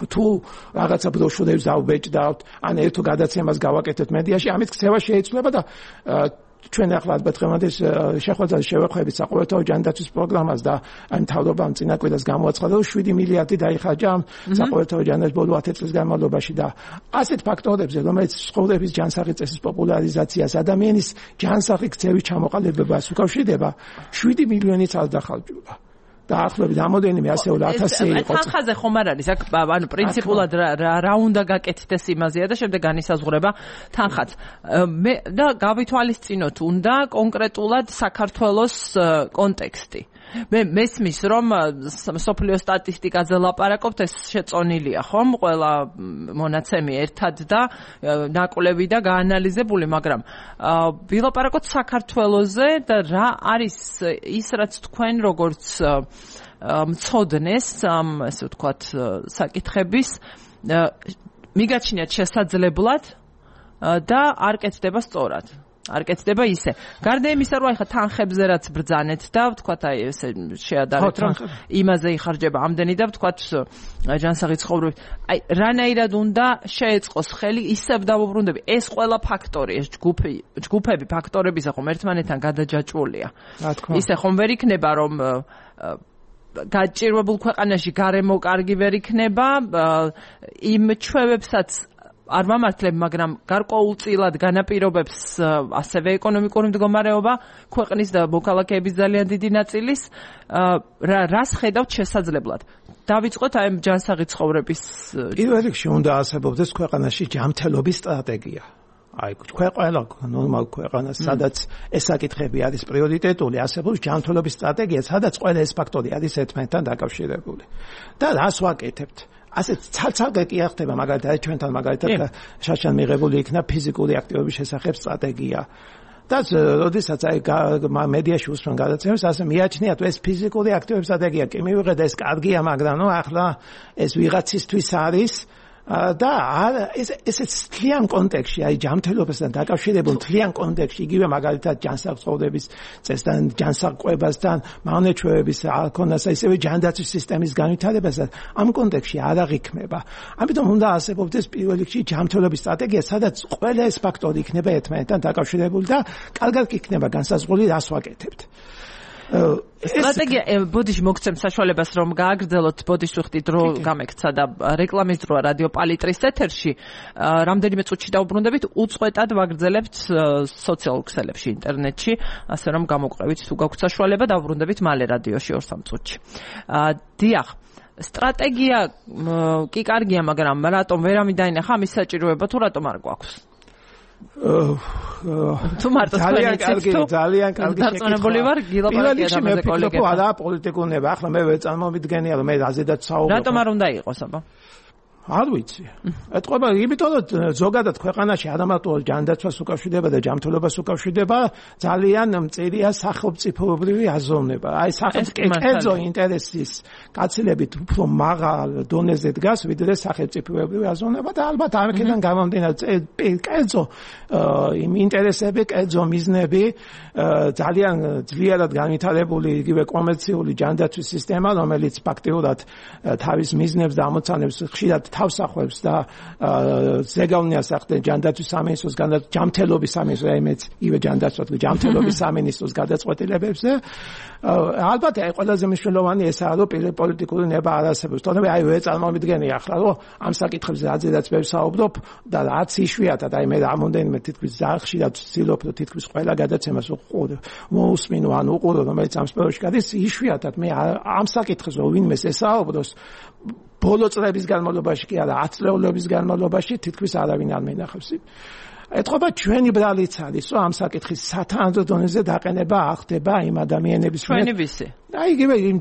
თუ რაღაცა ბროშურებს დავბეჭდავთ, ან ერთო გადაცემას გავაკეთეთ მედიაში, ამით ქცევა შეიცვლება და ჩვენ ახლა ალბათ ღემადეს შეხვედრაზე შევეხვდებით საყოველთაო ჯანდაცვის პროგრამას და აი მთავრობამ წინა კვირას გამოაცხადა, რომ შვიდი მილიარდი დაიხარჯა საყოველთაო ჯანდაცვის ბოლო ათი წლის განმავლობაში და ასეთ ფაქტორებზე, რომელიც ცხოვრების ჯანსაღი წესის პოპულარიზაციას, ადამიანის ჯანსაღი ქცევის ჩამოყალიბებას უკავშირდება, შვიდი მილიონიც არ დახარჯულა. დაახლოებით რამოდენიმე ასეული ათასი იყო. თანხაზე ხომ არ არის აქ ანუ პრინციპულად რა უნდა გაკეთდეს იმაზეა და შემდეგ განისაზღვრება თანხაც. მე და გავითვალისწინოთ უნდა კონკრეტულად საქართველოს კონტექსტი. მე მესმის რომ სოფლიო სტატისტიკაზე ლაპარაკობთ ეს შეწონილია ხომ ყველა მონაცემი ერთად და ნაკვლევი და გაანალიზებული მაგრამ ვილაპარაკოთ საქართველოზე და რა არის ის რაც თქვენ როგორც მცოდნეს ამ ესე ვთქვათ საკითხების მიგაჩნიათ შესაძლებლად და არ კეთდება სწორად არ კეთდება ისე. გარდა იმისა, რომ ახლა თანხებზე რაც ბრძანეთ და ვთქვათ აი ესე შეადარეთ რომ იმაზე იხარჯება ამდენი და ვთქვათ ჯანსაღი ცხოვრებით. აი რანაირად უნდა შეეწყოს ხელი ისევ დავუბრუნდები. ეს ყველა ფაქტორი, ეს ჯგუფი, ჯგუფები ფაქტორებისა ხომ ერთმანეთთან გადაჯაჭვულია. ისე ხომ ვერ იქნება რომ გაჭირვებულ ქვეყანაში გარემო კარგი ვერ იქნება იმ ჩვევებსაც არ ვამართლებ, მაგრამ გარკვეულწილად განაპირობებს ასევე ეკონომიკური მდგომარეობა ქვეყნის და მოქალაქეების ძალიან დიდი ნაწილის რას ხედავთ შესაძლებლად. დავიწყოთ აი ჯანსაღი ცხოვრების პირველ რიგში უნდა არსებობდეს ქვეყანაში ჯანმრთელობის სტრატეგია. აი ყველა ნორმალ ქვეყანას სადაც ეს საკითხები არის პრიორიტეტული, არსებობს ჯანმრთელობის სტრატეგია, სადაც ყველა ეს ფაქტორი არის ერთმანეთთან დაკავშირებული. და რას ვაკეთებთ? ასეთ ცალ-ცალკე კი არ ხდება მაგალითად ჩვენთან მაგალითად შაშან მიღებული იქნა ფიზიკური აქტივობის შესახებ სტრატეგია. და როდესაც აი მედიაში უსმენ გადაცემებს, ასე მიაჩნიათ ეს ფიზიკური აქტივობის სტრატეგია კი მივიღეთ ეს კარგია, მაგრამ ნუ ახლა ეს ვიღაცისთვის არის და ეს ეს თლიან კონტექსტში, აი ჯანმრთელობასთან დაკავშირებულ თლიან კონტექსტში, იგივე მაგალითად ჯანსაღწევების წესთან, ჯანსაღყვებასთან, მავნეჩვევების არქონასა, ისევე ჯანდაცვის სისტემის განვითარებასთან, ამ კონტექსტში არ აღიქმება. ამიტომ უნდა არსებობდეს პირველ რიგში ჯანმრთელობის სტრატეგია, სადაც ყველა ეს ფაქტორი იქნება ერთმანეთთან დაკავშირებული და კარგად იქნება განსაზღვრული, რას ვაკეთებთ. სტრატეგია ბოდიში მოგცემ საშუალებას რომ გააგრძელოთ ბოდიში ვიხდით დრო გამექცა და რეკლამის დროა რადიო პალიტრის ეთერში რამდენიმე წუთში დაუბრუნდებით უწყვეტად ვაგრძელებთ სოციალურ ქსელებში ინტერნეტში ასე რომ გამოგვყევით თუ გაქვთ საშუალება დაუბრუნდებით მალე რადიოში ორ სამ წუთში დიახ სტრატეგია კი კარგია მაგრამ რატომ ვერ ამიდაინახა ამის საჭიროება თუ რატომ არ გვაქვს თუ მარტო ძალიან კარგი ძალიან კარგი დარწმუნებული ვარ გილაპარაკია ამაზე კოლეგებთან არა პოლიტიკურნება ახლა მე ვერ წარმოვიდგენია რომ მე რაზედაც საუბრობ რატომ არ უნდა იყოს აბა არ ვიცი. ეთყობა იმიტომ რომ ზოგადად ქვეყანაში არამარტო ჯანდაცვას უკავშირდება და ჯანმრთელობას უკავშირდება ძალიან მწირია სახელმწიფოებრივი აზროვნება. აი სახელმწიფო ინტერესის გაცილებით უფრო მაღალ დონეზე დგას ვიდრე სახელმწიფოებრივი აზროვნება და ალბათ ამකიდან გამომდინარე კერძო იმ ინტერესები, კერძო მიზნები ძალიან ძლიერად განვითარებული იგივე კომერციული ჯანდაცვის სისტემა, რომელიც ფაქტიურად თავის მიზნებს და ამოცანებს ხშირად თავს ახევს და ზეგავლენას ახდენ ჯანდაცვის სამინისტროს ჯანმრთელობის სამინისტროს აიმეც ივე ჯანდაცვას ჯანმრთელობის სამინისტროს გადაწყვეტილებებზე ალბათ აი ყველაზე მნიშვნელოვანი ესაა რომ პოლიტიკური ნება არ არსებობს თორემ აი ვერ წარმოვიდგენია ახლა რომ ამ საკითხებზე რაზედაც ვერ საუბრობ და რაც იშვიათად აი მე რამოდენიმე თითქმის ხშირად ვცდილობ რომ თითქმის ყველა გადაცემას უყურო მოусმინო ან უყურო რომელიც ამ სფეროში გადის იშვიათად მე ამ საკითხზე ვინმეს ესაუბროს ბოლო წლების განმავლობაში კი არა ათ წლების განმავლობაში თითქმის არავინ არ მენახავს. ეთყობა ჩვენი ბრალიც არის რომ ამ საკითხის სათანადო დონეზე დაყენება არ ხდება იმ ადამიანების მიერ. ჩვენი ვისი? აი იგივე იმ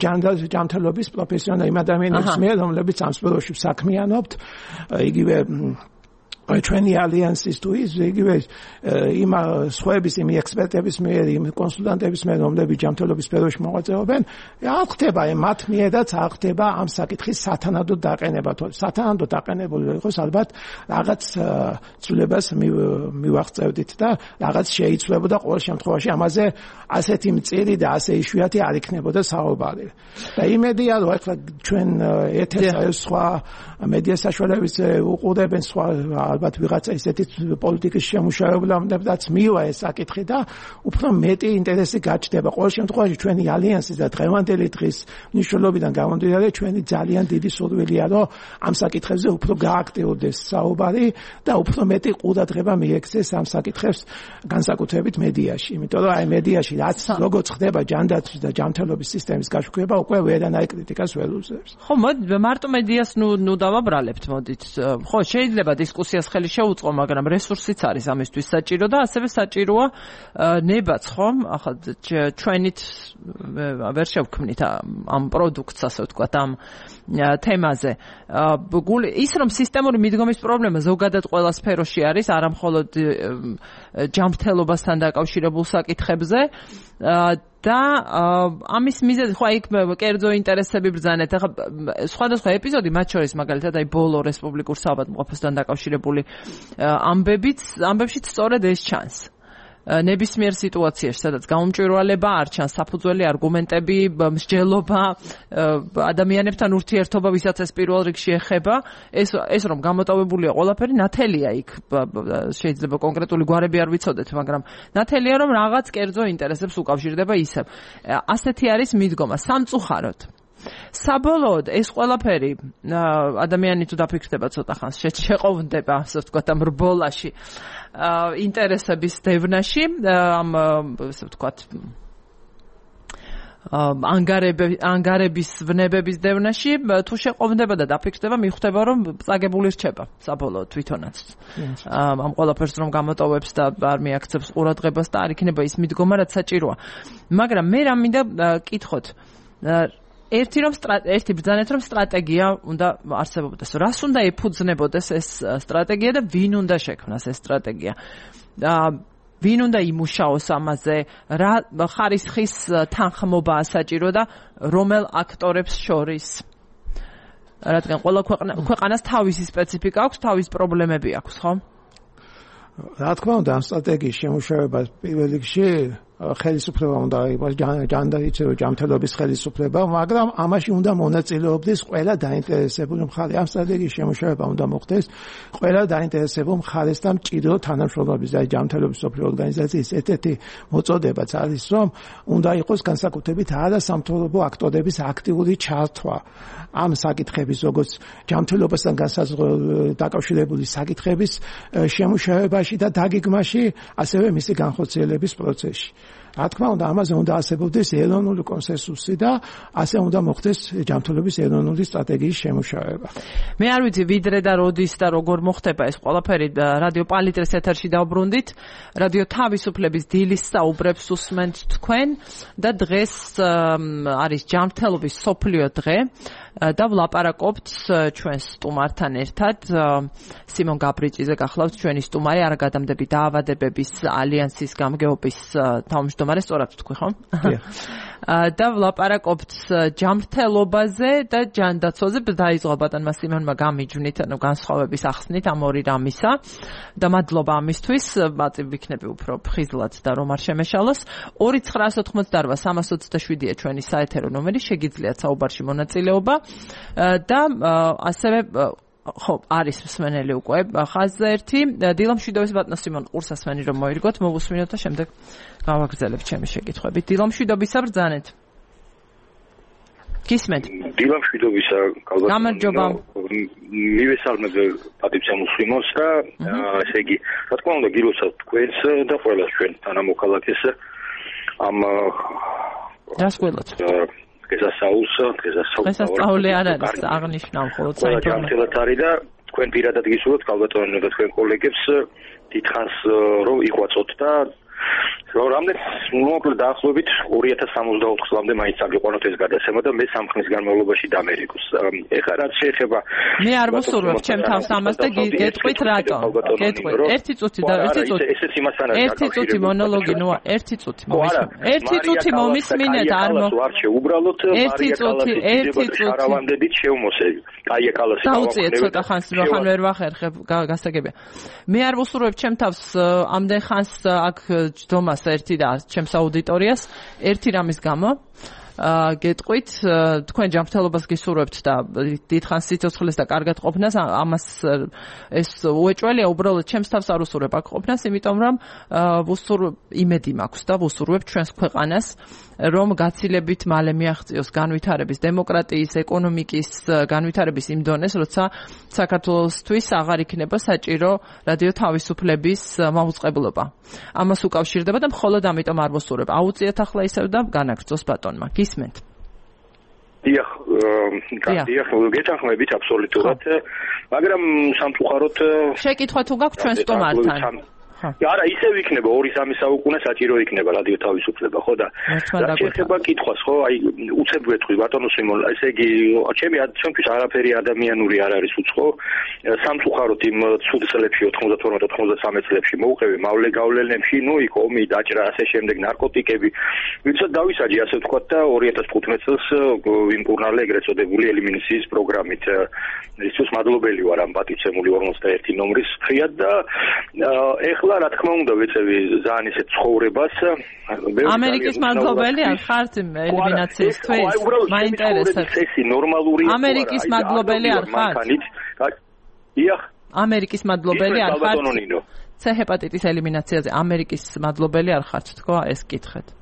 ჯანმრთელობის პროფესიონალი იმ ადამიანების მიერ რომლებიც ამ სფეროში საქმიანობთ იგივე ჩვენი ალიანსის თუ ის იგივე იმ სხვების იმ ექსპერტების მიერ იმ კონსულტანტების მიერ რომლებიც ჯანმრთელობის სფეროში მოღვაწეობენ არ ხდება მათ მიერაც არ ხდება ამ საკითხის სათანადო დაყენება თუ სათანადო დაყენებული იყოს ალბათ რაღაც ცვლილებას მივაღწევდით და რაღაც შეიცვლებოდა ყოველ შემთხვევაში ამაზე ასეთი მწირი და ასე იშვიათი არ იქნებოდა საუბარი და იმედია რომ ახლა ჩვენ ეთერს სხვა მედია საშუალებებზე უყურებენ სხვა ალბათ ვიღაცა ისეთი პოლიტიკის შემუშავებლამდეც მივა ეს საკითხი და უფრო მეტი ინტერესი გაჩნდება. ყოველ შემთხვევაში ჩვენი ალიანსის და დღევანდელი დღის მნიშვნელობიდან გამომდინარე ჩვენი ძალიან დიდი სურვილია რომ ამ საკითხებზე უფრო გააქტიურდეს საუბარი და უფრო მეტი ყურადღება მიექცეს ამ საკითხებს განსაკუთრებით მედიაში. იმიტომ რომ აი მედიაში რაც როგორც ხდება ჯანდაცვის და ჯანმრთელობის სისტემის გაშუქება უკვე ვერანაირ კრიტიკას ვერ უძლებს. ხო მარტო მედიას ნუ ნუ დავაბრალებთ მოდით. ხო შეიძლება დისკუსიას ხელი შეუწყო, მაგრამ რესურსიც არის ამისთვის საჭირო და ასევე საჭიროა ნებაც, ხომ? ახლა ჩვენით ვერ შევქმნით ამ პროდუქტს, ასე ვთქვათ, ამ თემაზე. ის რომ სისტემური მიდგომის პრობლემა ზოგადად ყველა სფეროში არის, არა მხოლოდ ჯანმრთელობასთან დაკავშირებულ საკითხებზე და ამის მიზეზი ხო იქ კერძო ინტერესები ბრძანეთ. ახლა სხვადასხვა ეპიზოდი მათ შორის მაგალითად აი ბოლო რესპუბლიკურ საავადმყოფოსთან დაკავშირებული ამბებიც ამბებშიც სწორედ ეს ჩანს. ნებისმიერ სიტუაციაში, სადაც გაუმჭვირვალება არ ჩანს, საფუძველი არგუმენტები, მსჯელობა, ადამიანებთან ურთიერთობა, ვისაც ეს პირველ რიგში ეხება, ეს ეს რომ გამოტოვებულია ყველაფერი, ნათელია იქ, შეიძლება კონკრეტული გვარები არ ვიცოდეთ, მაგრამ ნათელია რომ რაღაც კერძო ინტერესებს უკავშირდება ისევ. ასეთი არის მიდგომა სამწუხაროდ. საბოლოოდ ეს ყველაფერი ადამიანი თუ დაფიქრდება ცოტა ხანს შეყოვნდება, ასე ვთქვათ, ამ რბოლაში, ინტერესების დევნაში, ამ ასე ვთქვათ, ანგარების ვნებების დევნაში, თუ შეყოვნდება და დაფიქრდება, მიხვდება რომ წაგებული რჩება საბოლოოდ თვითონაც. ამ ყველაფერს რომ გამოტოვებს და არ მიაქცევს ყურადღებას და არ იქნება ის მიდგომა, რაც საჭიროა. მაგრამ მე რა მინდა კითხოთ, ერთი რომ ერთი ბრძანეთ რომ სტრატეგია უნდა არსებობდეს. რას უნდა ეფუძნებოდეს ეს სტრატეგია და ვინ უნდა შექმნას ეს სტრატეგია? ვინ უნდა იმუშაოს ამაზე? რა ხარისხის თანხმობაა საჭირო და რომელ აქტორებს შორის? რადგან ყველა ქვეყანას თავისი სპეციფიკა აქვს, თავის პრობლემები აქვს, ხო? რა თქმა უნდა, ამ სტრატეგიის შემუშავება პირველ რიგში ხელისუფლება უნდა იყოს, ჯანდაცვის ჯანმრთელობის ხელისუფლება, მაგრამ ამაში უნდა მონაწილეობდეს ყველა დაინტერესებული მხარე. ამ სტრატეგიის შემუშავება უნდა მოხდეს ყველა დაინტერესებულ მხარეს და მჭიდრო თანამშრომლობის და ჯანმრთელობის სოფლიო ორგანიზაციის ერთ-ერთი მოწოდებაც არის, რომ უნდა იყოს განსაკუთრებით არასამთავრობო აქტორების აქტიური ჩართვა ამ საკითხების, როგორც ჯანმრთელობასთან დაკავშირებული საკითხების შემუშავებაში და დაგეგმაში, ასევე მისი განხორციელების პროცესში. რა თქმა უნდა, ამაზე უნდა არსებობდეს ეროვნული კონსენსუსი და ასე უნდა მოხდეს ჯანმრთელობის ეროვნული სტრატეგიის შემუშავება. მე არ ვიცი ვიდრე და როდის და როგორ მოხდება ეს ყველაფერი. რადიო პალიტრის ეთერში დავბრუნდით. რადიო თავისუფლების დილის საუბრებს უსმენთ თქვენ და დღეს არის ჯანმრთელობის სოფლიო დღე. და ვლაპარაკობთ ჩვენს სტუმართან ერთად. სიმონ გაბრიჭიძე გახლავთ ჩვენი სტუმარი, არაგადამდები დაავადებების ალიანსის გამგეობის თავმჯდომარე, სწორად ვთქვი, ხო? და ვლაპარაკობთ ჯანმრთელობაზე და ჯანდაცვაზე. დაიწყო ბატონმა სიმონმა გამიჯვნით, ანუ განსხვავების ახსნით ამ ორი რამისა და მადლობა ამისთვის. მაწი ვიქნები უფრო ფხიზლად და რომ არ შემეშალოს. ორი ცხრაას ოთხმოცდაორვა სამას ოცდაშვიდია ჩვენი საეთერო ნომერი, შეგიძლიათ საუბარში მონაწილეობა. და ასევე ხო არის მსმენელი უკვე ხაზზე ერთი დილამშვიდობის ბატონო სიმონ ყურსასმენი რომ მოირგოთ მოვუსმინოთ და შემდეგ გავაგრძელებთ ჩემი შეკითხვებით. დილამშვიდობისა ბრძანეთ. გისმენთ? დილამშვიდობისა კალბატონო. გამარჯობა. მივესალმებ პატივცემულ სიმონს და ესე იგი რა თქმა უნდა გილოცავთ თქვენს და ყველა ჩვენ თანამოქალაქეს ამ რას გველოთ? დღესასწაულს, დღესასწაული არ არის აღნიშნავ, ხოლო საინფორმაციო არის და თქვენ პირადად გისურვებთ კალბატონო და თქვენ კოლეგებს დიდხანს რომ იყვაწოთ და რომ რამდენ მოკლედ დაახლოებით ორი ათას სამოცდაოთხ წლამდე მაინც აგიყვანოთ ეს გადაცემა და მე სამ ხნის განმავლობაში დამერიგოს. ეხლა რაც შეეხება მე არ მოსურვებ ჩემ თავს ამას და გეტყვით რატომ? გეტყვით. ერთი წუთი და ერთი წუთი. ესეც იმასთან არის. ერთი წუთი მონოლოგი, ნუ ერთი წუთი მომისმინეთ. ერთი წუთი მომისმინეთ, არ მო. ვარჩე უბრალოდ ერთი წუთი, ერთი წუთი. არავანდებით შევმოსები. კაია კალასი დავუწიეთ ცოტა ხანს, ხან ვერ ვახერხებ, გასაგებია. მე არ მოსურვებ ჩემ თავს ამდენ ხანს აქ ჯდომას ერთი და ჩემს აუდიტორიას ერთი რამის გამო გეტყვით თქვენ ჯანმრთელობას გისურვებთ და დიდხანს სიცოცხლეს და კარგად ყოფნას ამას ეს უეჭველია უბრალოდ ჩემს თავს არ უსურვებ აქ ყოფნას იმიტომ რომ ვუსურ იმედი მაქვს და ვუსურვებ ჩვენს ქვეყანას რომ გაცილებით მალე მიაღწიოს განვითარების დემოკრატიის ეკონომიკის განვითარების იმ დონეს როცა საქართველოსთვის აღარ იქნება საჭირო რადიო თავისუფლების მაუწყებლობა ამას უკავშირდება და მხოლოდ ამიტომ არ ვუსურვებ აუწიეთ ახლა ისევ და განაგრძოს ბატონმა გისმენთ დიახ დიახ გეთანხმებით აბსოლუტურად მაგრამ სამწუხაროდ შეკითხვა თუ გაქვთ ჩვენ სტუმართან არა ისევ იქნება ორი სამი საუკუნე საჭირო იქნება რადიო თავისუფლება ხო და რა შეიძლება კითხვას ხო აი უცებ ვეთქვი ბატონო სიმონ ესე იგი ჩემი ჩემთვის არაფერი ადამიანური არ არის უცხო სამწუხაროდ იმ ცუდ წლებში ოთხმოცდათორმეტ ოთხმოცდასამე წლებში მოუყევი მავლე გავლენებში ნუ იქ ომი დაჭრა ასე შემდეგ ნარკოტიკები ვიცით დავისაჯი ასე ვთქვათ და ორი ათას თხუთმეტ წელს ვიმკურნალე ეგრეთ წოდებული ელიმინაციის პროგრამით ისთვის მადლობელი ვარ ამ პატივცემული ორმოცდაერთი ნომრის ხიად და ეხლა რა თქმა უნდა ვეწევი ძალიან ისეთ ცხოვრებას ამერიკის მადლობელი არ ხართ ელიმინაციისთვის მაინტერესებს წესი ნორმალური ამერიკის მადლობელი არ ხართ იახ ამერიკის მადლობელი არ ხართ C ჰეპატიტის ელიმინაციაზე ამერიკის მადლობელი არ ხართ თქო ეს კითხეთ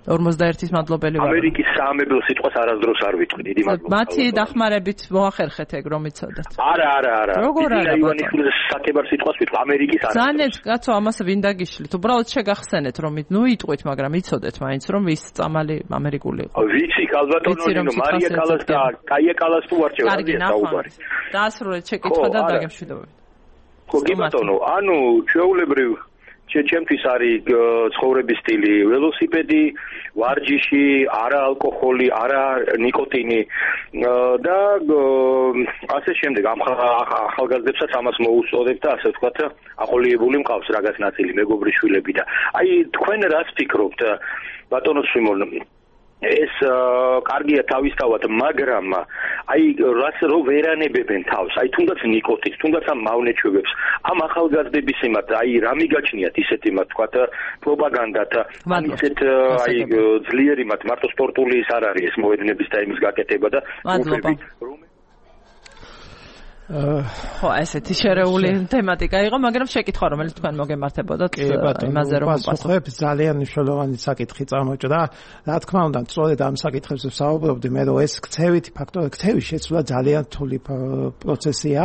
ორმოცდაერთის მადლობელი ვარ. ამერიკის საამებელ სიტყვას არასდროს არ ვიტყვი, დიდი მადლობა. მათი დახმარებით მოახერხეთ ეგ რომ იცოდეთ. არა, არა, არა. როგორ არა? ივანიშვილის საკებარ სიტყვას ვიტყვი, ამერიკის არა. ზანეთ, კაცო, ამას ვინ დაგიშლით? უბრალოდ შეგახსენეთ რომ ნუ იტყვით, მაგრამ იცოდეთ მაინც რომ ვის წამალი ამერიკული იყო. ვიცი, კალბატონო, მარია კალას და კაია კალას თუ ვარჩევ საუბარი. დაასრულეთ შეკითხვა და დაგემშვიდობებით. ხო, კი ბატონო, ანუ ჩვეულებრივ ჩემთვის არის ცხოვრების სტილი ველოსიპედი, ვარჯიში, არა ალკოჰოლი, არა ნიკოტინი და ასე შემდეგ ამ ახალგაზრდებსაც ამას მოუსწოდებ და ასე ვთქვათ აყოლიებული მყავს რაღაც ნაწილი მეგობრის შვილები და აი თქვენ რას ფიქრობთ ბატონო სიმონ ეს კარგია თავისთავად, მაგრამ აი რას რო ვერანებებენ თავს, აი თუნდაც ნიკოტინს, თუნდაც ამ მავნეჩვევებს, ამ ახალგაზრდების იმათ, აი რა მიგაჩნიათ ისეთ იმათ, თქვათ პროპაგანდათ, ისეთ აი ძლიერი იმათ, მარტო სპორტული ის არ არის ეს მოედნების და იმის გაკეთება და მადლობა. ხო, ესეთი შერეული თემატიკა იყო, მაგრამ შეკითხვა რომელიც თქვენ მოგემართებოდათ იმაზე რომ პასუხებ ძალიან მნიშვნელოვანი საკითხი წამოჭრა. რა თქმა უნდა, სწორედ ამ საკითხებზე ვსაუბრობდი, მე რომ ეს ქცევითი ფაქტორი, ქცევის შეცვლა ძალიან რთული პროცესია.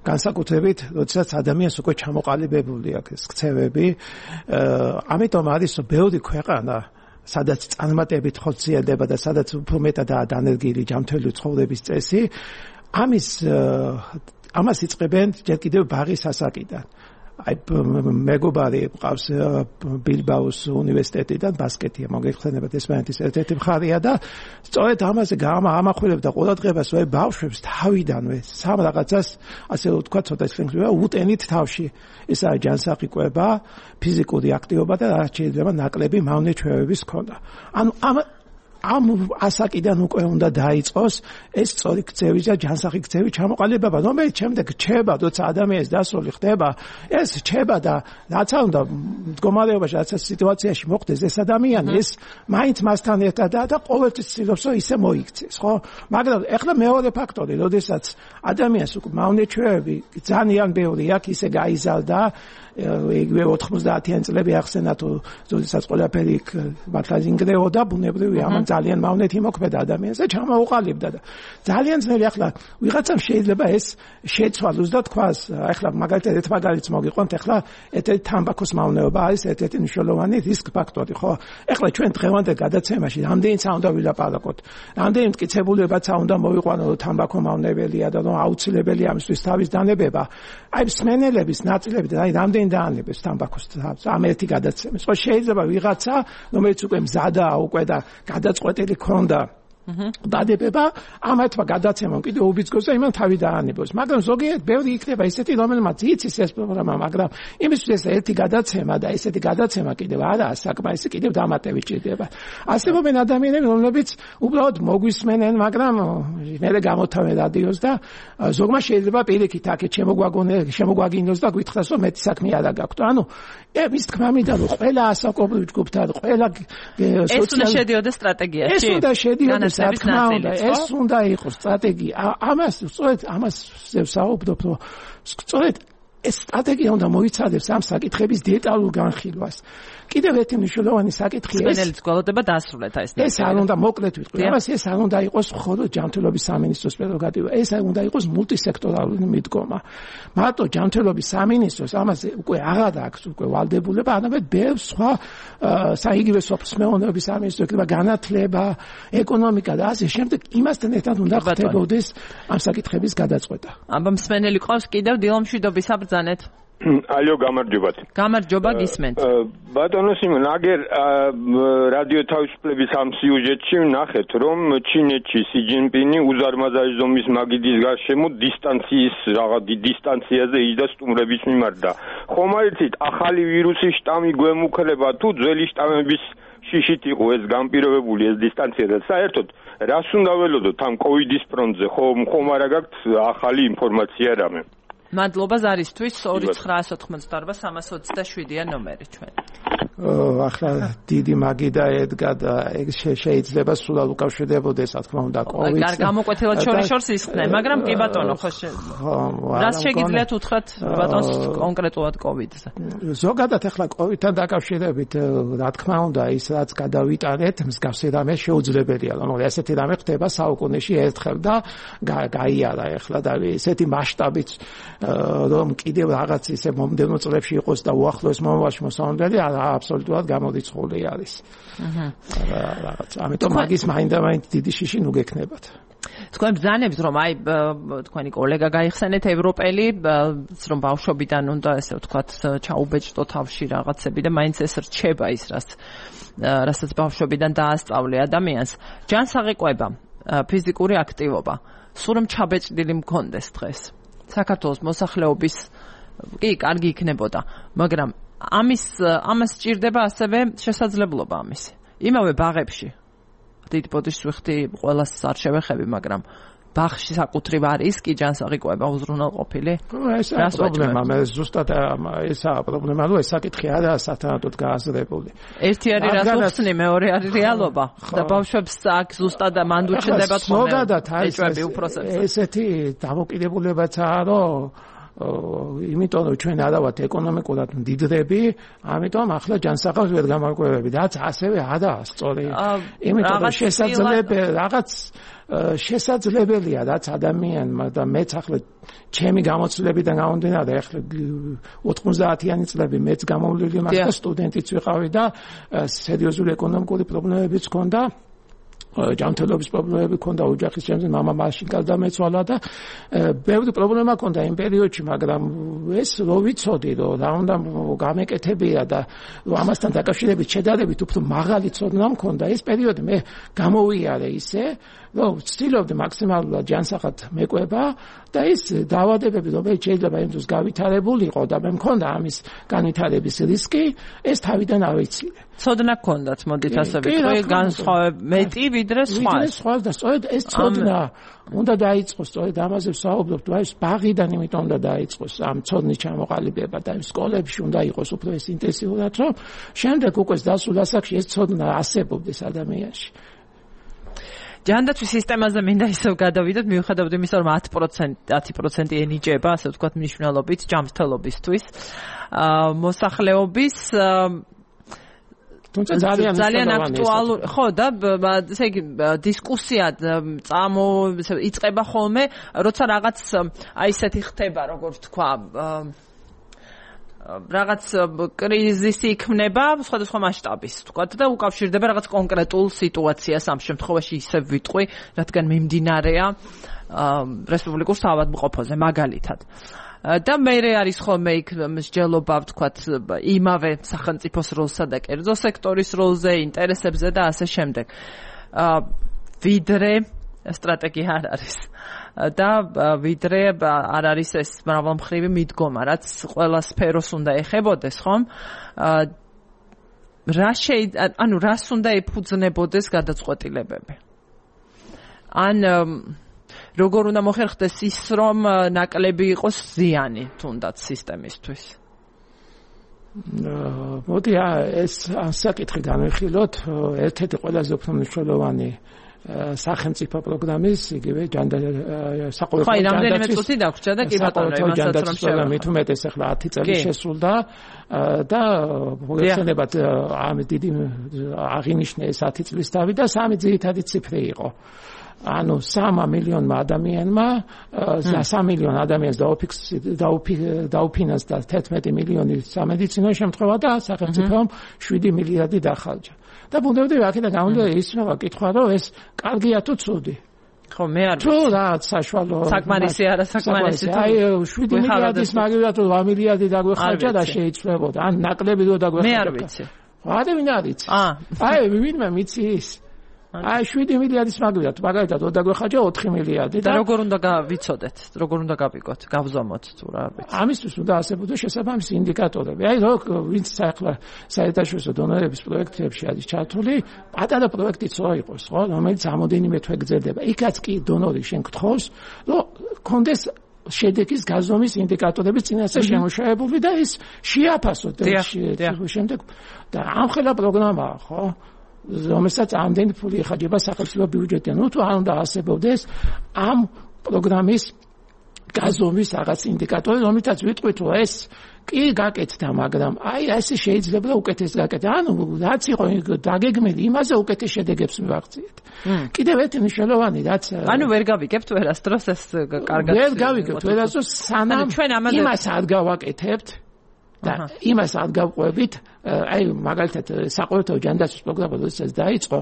განსაკუთრებით, როდესაც ადამიანს უკვე ჩამოყალიბებული აქვს ეს ქცევები, ამიტომ არის რომ ბევრი ქვეყანა სადაც წარმატებით ხორციელდება და სადაც უფრო მეტადაა დანერგილი ჯანმრთელი ცხოვრების წესი, ამის ამას იწყებენ ჯერ კიდევ ბაღის ასაკიდან. აი მეგობარი ყავს ბილბაოს უნივერსიტეტიდან ბასკეტია მოგეხსენებათ ესპანეთის ერთ-ერთი მხარეა და სწორედ ამაზე გამახვილებდა ყურადღებას ვე ბავშვებს თავიდანვე სამ რაღაცას ასე ვთქვათ ცოტა ისხლება უტენით თავში ესაა ჯანსაღი-კვება, ფიზიკური აქტივობა და რაც შეიძლება ნაკლები მავნე-ჩვევების ქონა. ანუ ამ ამ ასაკიდან უკვე უნდა დაიწყოს ეს სწორი ქცევის და ჯანსაღი ქცევის ჩამოყალიბება, რომელიც შემდეგ რჩება, როცა ადამიანის დასრული ხდება, ეს რჩება და რაც უნდა მდგომარეობაში, რაც სიტუაციაში მოხდეს ეს ადამიანი, ეს მაინც მასთან ერთადაა და ყოველთვის ცდილობს, რომ ისე მოიქცეს, ხო? მაგრამ ეხლა მეორე ფაქტორი, როდესაც ადამიანს უკვე მავნე-ჩვევები ძალიან ბევრი აქვს, ისე გაიზარდა იგივე ოთხმოცდაათიანი წლები ახსენათ, როდესაც ყველაფერი მართლა ინგრეოდა, ბუნებრივი ამან ძალიან მავნეთი მოქმედა ადამიანს და ჩამოუყალიბდა და ძალიან ძნელი ახლა ვიღაცამ შეიძლება ეს შეცვალოს და თქვას, ახლა მაგალითად ერთ მაგალითს მოგიყვანთ, ახლა ერთ-ერთი თამბაქოს მავნეობა არის ერთ-ერთი მნიშვნელოვანი რისკ ფაქტორი, ხო? ახლა ჩვენ დღევანდელ გადაცემაში რამდენიც უნდა ვილაპარაკოთ, რამდენი მტკიცებულებაც უნდა მოვიყვანოთ, რომ თამბაქო მავნებელია და რომ აუცილებელი ამისთვის თავის დანებება. აი მსმენელების ნაწილები და აი რამდენი დაანებებს თამბაქოს თავს ამ ერთი გადაცემის. ხო შეიძლება ვიღაცა, რომელიც უკვე მზადაა უკვე და გადაწყვეტილი ქონდა დადებება, ამათმა გადაცემამ კიდევ უბიძგოს და იმან თავი დაანებოს. მაგრამ ზოგიერთ ბევრი იქნება ისეთი, რომელმაც იცის ეს პროგრამა, მაგრამ იმისთვის ეს ერთი გადაცემა და ესეთი გადაცემა კიდევ არაა საკმარისი, კიდევ დამატები ჭირდება. არსებობენ ადამიანები, რომლებიც უბრალოდ მოგვისმენენ, მაგრამ მერე გამოთავენ რადიოს და ზოგმა შეიძლება პირიქით აქეთ შემოგვაგინოს და გითხრას, რომ მეტი საქმე არ გაქვთ. ანუ ეს თქმა მინდა, რომ ყველა ასაკობრივ ჯგუფთან, ყველა ეს უნდა შედიოდა სტრატეგიაში. ეს უნდა შედიოდა რა თქმა უნდა, ეს უნდა იყოს სტრატეგია. ამას სწორედ ამას ვსაუბრობ, რომ სწორედ ეს სტრატეგია უნდა მოიცადოს ამ საკითხების დეტალურ განხილვას. კიდევ ერთი მნიშვნელოვანი საკითხია ეს. სპენელიც გვალოდება დასრულეთ აი ეს. ეს არ უნდა მოკლედ ვიტყვი. ამას ეს არ უნდა იყოს მხოლოდ ჯანმრთელობის სამინისტროს პრეროგატივა. ეს არ უნდა იყოს მულტისექტორალური მიდგომა. მარტო ჯანმრთელობის სამინისტროს ამაზე უკვე აღარ აქვს უკვე ვალდებულება, არამედ ბევრ სხვა საიგივე სოფლის მეურნეობის სამინისტრო, იქნება განათლება, ეკონომიკა და ასე შემდეგ იმასთან ერთად უნდა ხდებოდეს ამ საკითხების გადაწყვეტა. აბა მსმენელი ყავს კიდევ დილომშვიდობის საბრძანეთ. ალო, გამარჯობათ. გამარჯობა, გისმენთ. ბატონო სიმონ, აგერ რადიო თავისუფლების ამ სიუჟეტში ვნახეთ, რომ ჩინეთში სი ჯინპინი უზარმაზარი ზომის მაგიდის გარშემო დისტანციის რაღაც დისტანციაზე იჯდა სტუმრების მიმართ და ხომ არ იცით, ახალი ვირუსის შტამი გვემუქრება თუ ძველი შტამების შიშით იყო ეს განპირობებული ეს დისტანცია და საერთოდ რას უნდა ველოდოთ ამ კოვიდის ფრონტზე, ხომ ხომ არა გაქვთ ახალი ინფორმაცია რამე? მადლობა ზარისთვის ორი ცხრაას ოთხმოცდაორბა სამას ოცდაშვიდია ნომერი ჩვენ. ახლა დიდი მაგიდა ედგა და ეგ შეიძლება სულად უკავშირდებოდეს, რა თქმა უნდა, კოვიდს. არ გამოკვეთილად შორიშორს ისხდნენ, მაგრამ კი ბატონო, ხო რას შეგიძლიათ უთხრათ ბატონს კონკრეტულად კოვიდზე? ზოგადად ახლა კოვიდთან დაკავშირებით, რა თქმა უნდა, ის რაც გადავიტანეთ, მსგავსი რამე შეუძლებელია, რომ ესეთი რამე ხდება საუკუნეში ერთხელ და გაიარა ახლა და ესეთი მასშტაბით რომ კიდევ რაღაც ისე მომდევნო წლებში იყოს და უახლოეს მომავალში მოსავალებელი აბსოლუტურად გამორიცხული არის. აჰა. რაღაც ამიტომ მაგის მაინდა-მაინც დიდი შიში ნუ გექნებათ. თქვენ ბრძანებს რომ აი თქვენი კოლეგა გაიხსენეთ ევროპელი რომ ბავშვობიდან უნდა ესე ვთქვათ ჩაუბეჭდო თავში რაღაცები და მაინც ეს რჩება ის რაც რასაც ბავშვობიდან დაასწავლე ადამიანს. ჯანსაღი კვება, ფიზიკური აქტივობა, სულ რომ ჩაბეჭდილი მქონდეს დღეს. საქართველოს მოსახლეობის კი კარგი იქნებოდა, მაგრამ ამის ამას სჭირდება ასევე შესაძლებლობა ამისი. იმავე ბაღებში დიდი ბოდიშს ვიხდი ყველას არ შევეხები, მაგრამ ბაღში საკუთრივ არის კი ჯანსაღი უზრუნველყოფილი? ესაა პრობლემა, მე ზუსტად ესაა პრობლემა, რომ ეს საკითხი არაა სათანადოდ გააზრებული. ერთი არის რას უხსნი, მეორე არის რეალობა. და ბავშვებს აქ ზუსტად მანდ უჩნდებათ ხოლმე. ზოგადად არის ესეთი დამოკიდებულებაცაა, რომ იმიტომ რომ ჩვენ არა ვართ ეკონომიკურად მდიდრები, ამიტომ ახლა ჯანსაღავს ვერ გამარკვევები, რაც ასევე არაა სწორი. იმიტომ რომ შესაძლებელი რაღაც შესაძლებელია რაც ადამიანმა და მეც ახლა ჩემი გამოცდილებიდან გამომდინარე, ახლა ოთხმოცდაათიანი წლები მეც გამოვლილი მაქვს და სტუდენტიც ვიყავი და სერიოზული ეკონომიკური პრობლემებიც ჰქონდა. ჯანმრთელობის პრობლემები ჰქონდა, ოჯახის ჩემზე მამა მაშინ გარდაეცვალა და ბევრი პრობლემა ჰქონდა იმ პერიოდში, მაგრამ ეს რო ვიცოდი, რომ რა უნდა გამეკეთებია და რომ ამასთან დაკავშირებით შედარებით უფრო მაღალი ცოდნა მქონდა, ეს პერიოდი მე გამოვიარე ისე, რომ ვცდილობდი მაქსიმალურად ჯანსაღად მეკვება და ის დაავადებები, რომელიც შეიძლება იმ დროს გავითარებულიყო და მე მქონდა ამის განვითარების რისკი, ეს თავიდან ავიცილე. ცოდნა გქონდათ, მოდით ასე ვიტყვი, განსხვავებით მეტი ვიდრე სხვა. ვიდრე სხვა და სწორედ ეს ცოდნა უნდა დაიწყოს, სწორედ ამაზე ვსაუბრობთ, აი ეს ბაღიდან იმიტომ უნდა დაიწყოს ამ ცოდნის ჩამოყალიბება და იმ სკოლებში უნდა იყოს უფრო ეს ინტენსიურად, რომ შემდეგ უკვე დასულ ასაკში ეს ცოდნა არსებობდეს ადამიანში. ჯანდაცვის სისტემაზე მინდა ისევ გადავიდეთ, მიუხედავად იმისა, რომ ათი პროცენტი ენიჭება, ასე ვთქვათ, მნიშვნელობით ჯანმრთელობისთვის, მოსახლეობის თუმცა ძალიან ძალიან აქტუალური ხო და ესე იგი დისკუსია წამო იწყება ხოლმე, როცა რაღაც აი ესეთი ხდება, როგორ ვთქვა, რაღაც კრიზისი იქმნება სხვადასხვა მასშტაბის, ვთქვათ და უკავშირდება რაღაც კონკრეტულ სიტუაციას, ამ შემთხვევაში ისევ ვიტყვი, რადგან მიმდინარეა რესპუბლიკურ საავადმყოფოზე მაგალითად. და მეერე არის ხოლმე იქ მსჯელობა, ვთქვათ, იმავე სახელმწიფოს როლსა და კერძო სექტორის როლზე, ინტერესებზე და ასე შემდეგ. ვიდრე სტრატეგია არ არის. და ვიდრე არ არის ეს მრავალმხრივი მიდგომა, რაც ყველა სფეროს უნდა ეხებოდეს, ხომ? რა შეიძლება, ანუ რას უნდა ეფუძნებოდეს გადაწყვეტილებები? ან როგორ უნდა მოხერხდეს ის, რომ ნაკლები იყოს ზიანი თუნდაც სისტემისთვის? მოდი ეს საკითხი განვიხილოთ, ერთ-ერთი ყველაზე უფრო მნიშვნელოვანი სახელმწიფო პროგრამის, იგივე საყოველთაო ჯანდაცვის. ხო, რამდენიმე წუთი დაგვრჩა და კი ბატონო, იმასაც რომ შევეხო. მით უმეტეს ახლა ათი წელი შესრულდა და მოგეხსენებათ ამ დიდი აღინიშნა ეს ათი წლის თავი და სამი ძირითადი ციფრი იყო. ანუ სამი მილიონმა ადამიანმა, სამი მილიონ ადამიანს დაუფინანსდა თერთმეტი მილიონი სამედიცინო შემთხვევა და სახელმწიფომ შვიდი მილიარდი დახარჯა. და ბუნებრივია აქედან გამომდინარე ისმევა კითხვა, რომ ეს კარგია თუ ცუდი? ხო, მე არ ვიცი. თუ რა საშუალო საკმარისი არა საკმარისი თუ აი შვიდი მილიარდის მაგალითად ორი მილიარდი დაგვეხარჯა და შეიცვლებოდა. ან ნაკლები რო დაგვეხარჯა. მე არ ვიცი. რა ვინ არის? აი ვინმე მიცის? აი შვიდი მილიარდის მაგალითად, მაგალითად დაგვეხარჯა ოთხი მილიარდი და როგორ უნდა გავიცოდეთ, როგორ უნდა გავიგოთ, გავზომოთ თუ რა ვიცი. ამისთვის უნდა არსებობდეს შესაბამისი ინდიკატორები. აი რო ვინც ახლა საერთაშორისო დონორების პროექტებში არის ჩართული, პატარა პროექტიც რო იყოს, ხო, რომელიც ამოდენიმე თვე გრძელდება. იქაც კი დონორი შენ გთხოვს, რომ კონდეს შედეგის გაზომის ინდიკატორების წინასწარ შემოშაებული და ის შეაფასოთ შემდეგ და ამ ხელა პროგრამაა, ხო? რომელსაც ამდენი ფული ეხარჯება სახელმწიფო ბიუჯეტიდან. ნუ თუ არ უნდა არსებობდეს ამ პროგრამის გაზომვის რაღაც ინდიკატორი, რომელთაც ვიტყვით, რომ ეს კი გაკეთდა, მაგრამ აი ესე შეიძლება და უკეთეს გაკეთდა. ანუ რაც იყო დაგეგმილი, იმაზე უკეთეს შედეგებს მივაღწიეთ. კიდევ ერთი მნიშვნელოვანი რაც ანუ ვერ გავიგებთ ვერასდროს ეს კარგად ვერ გავიგებთ ვერასდროს სანამ იმას არ გავაკეთებთ და იმას არ გავყვებით, აი მაგალითად საყოველთაო ჯანდაცვის პროგრამა როდესაც დაიწყო,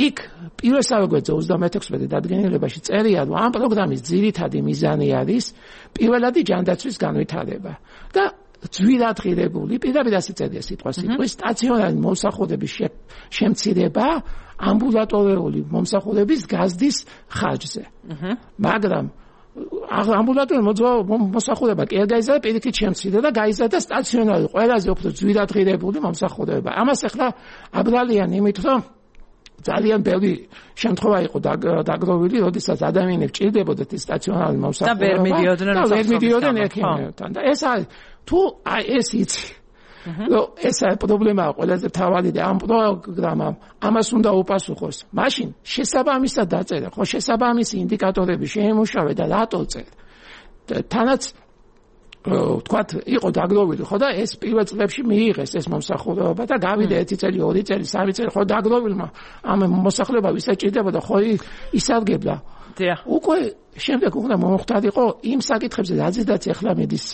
იქ პირველსავე გვერდზე ოცდამეექვსმეტი დადგენილებაში წერია, რომ ამ პროგრამის ძირითადი მიზანი არის პირველადი ჯანდაცვის განვითარება და ძვირადღირებული, პირდაპირ ასე წერია სიტყვა სიტყვის, სტაციონარი მომსახურების შემცირება ამბულატორიული მომსახურების გაზრდის ხარჯზე. მაგრამ ამბულატორული მომსახურება კი არ გაიზარდა, პირიქით შემცირდა და გაიზარდა სტაციონარი ყველაზე უფრო ძვირადღირებული მომსახურება. ამას ახლა აბრალიან იმით, რომ ძალიან ბევრი შემთხვევა იყო დაგროვილი, როდესაც ადამიანებს ჭირდებოდათ სტაციონარული მომსახურება და ვერ მიდიოდნენ ექიმებთან და ეს არის თუ აი ეს იცი რომ ეს არის პრობლემაა ყველაზე მთავარი და ამ პროგრამამ ამას უნდა უპასუხოს. მაშინ შესაბამისად დაწერა, ხო შესაბამისი ინდიკატორები შეიმუშავე და რატო წერ. თანაც ვთქვათ, იყო დაგროვილი, ხო და ეს პირველ წლებში მიიღეს ეს მომსახურება და გავიდა ერთი წელი, ორი წელი, სამი წელი, ხო დაგროვილმა ამ მოსახლეობა ვისაც ჭირდებოდა, ხო ისარგებლა. უკვე შემდეგ უნდა მომხდარიყო იმ საკითხებზე, რაზეც ახლა მედის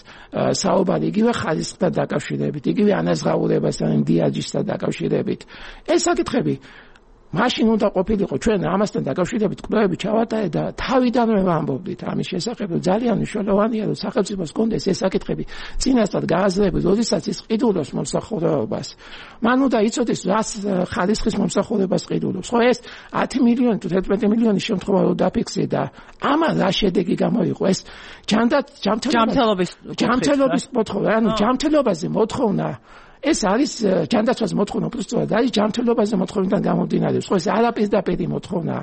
საუბარი, იგივე ხარისხთან დაკავშირებით, იგივე ანაზღაურებასთან, დიაჯისთან დაკავშირებით. ეს საკითხები მაშინ უნდა ყოფილიყო ჩვენ ამასთან დაკავშირებით კვლევები ჩავატარეთ და თავიდანვე ვამბობდით ამის შესახებ, რომ ძალიან მნიშვნელოვანია, რომ სახელმწიფოს კონდეს ეს საკითხები წინასწარ გააზრებული, როდესაც ის ყიდულობს მომსახურებას. მან უნდა იცოდეს, რას ხარისხის მომსახურებას ყიდულობს. ხო ეს ათი მილიონი თუ თერთმეტი მილიონი შემთხვევა რო დაფიქსირდა და ამან რა შედეგი გამოიყო? ეს ჯანდაც ჯანმრთელობის ჯანმრთელობის მოთხოვნა, ანუ ჯანმრთელობაზე მოთხოვნა ეს არის ჯანდაცვას მოთხოვნა, უბრალოდ არის ჯანმრთელობაზე მოთხოვნიდან გამომდინარეობს. ხო ეს არაპირდაპირი მოთხოვნა.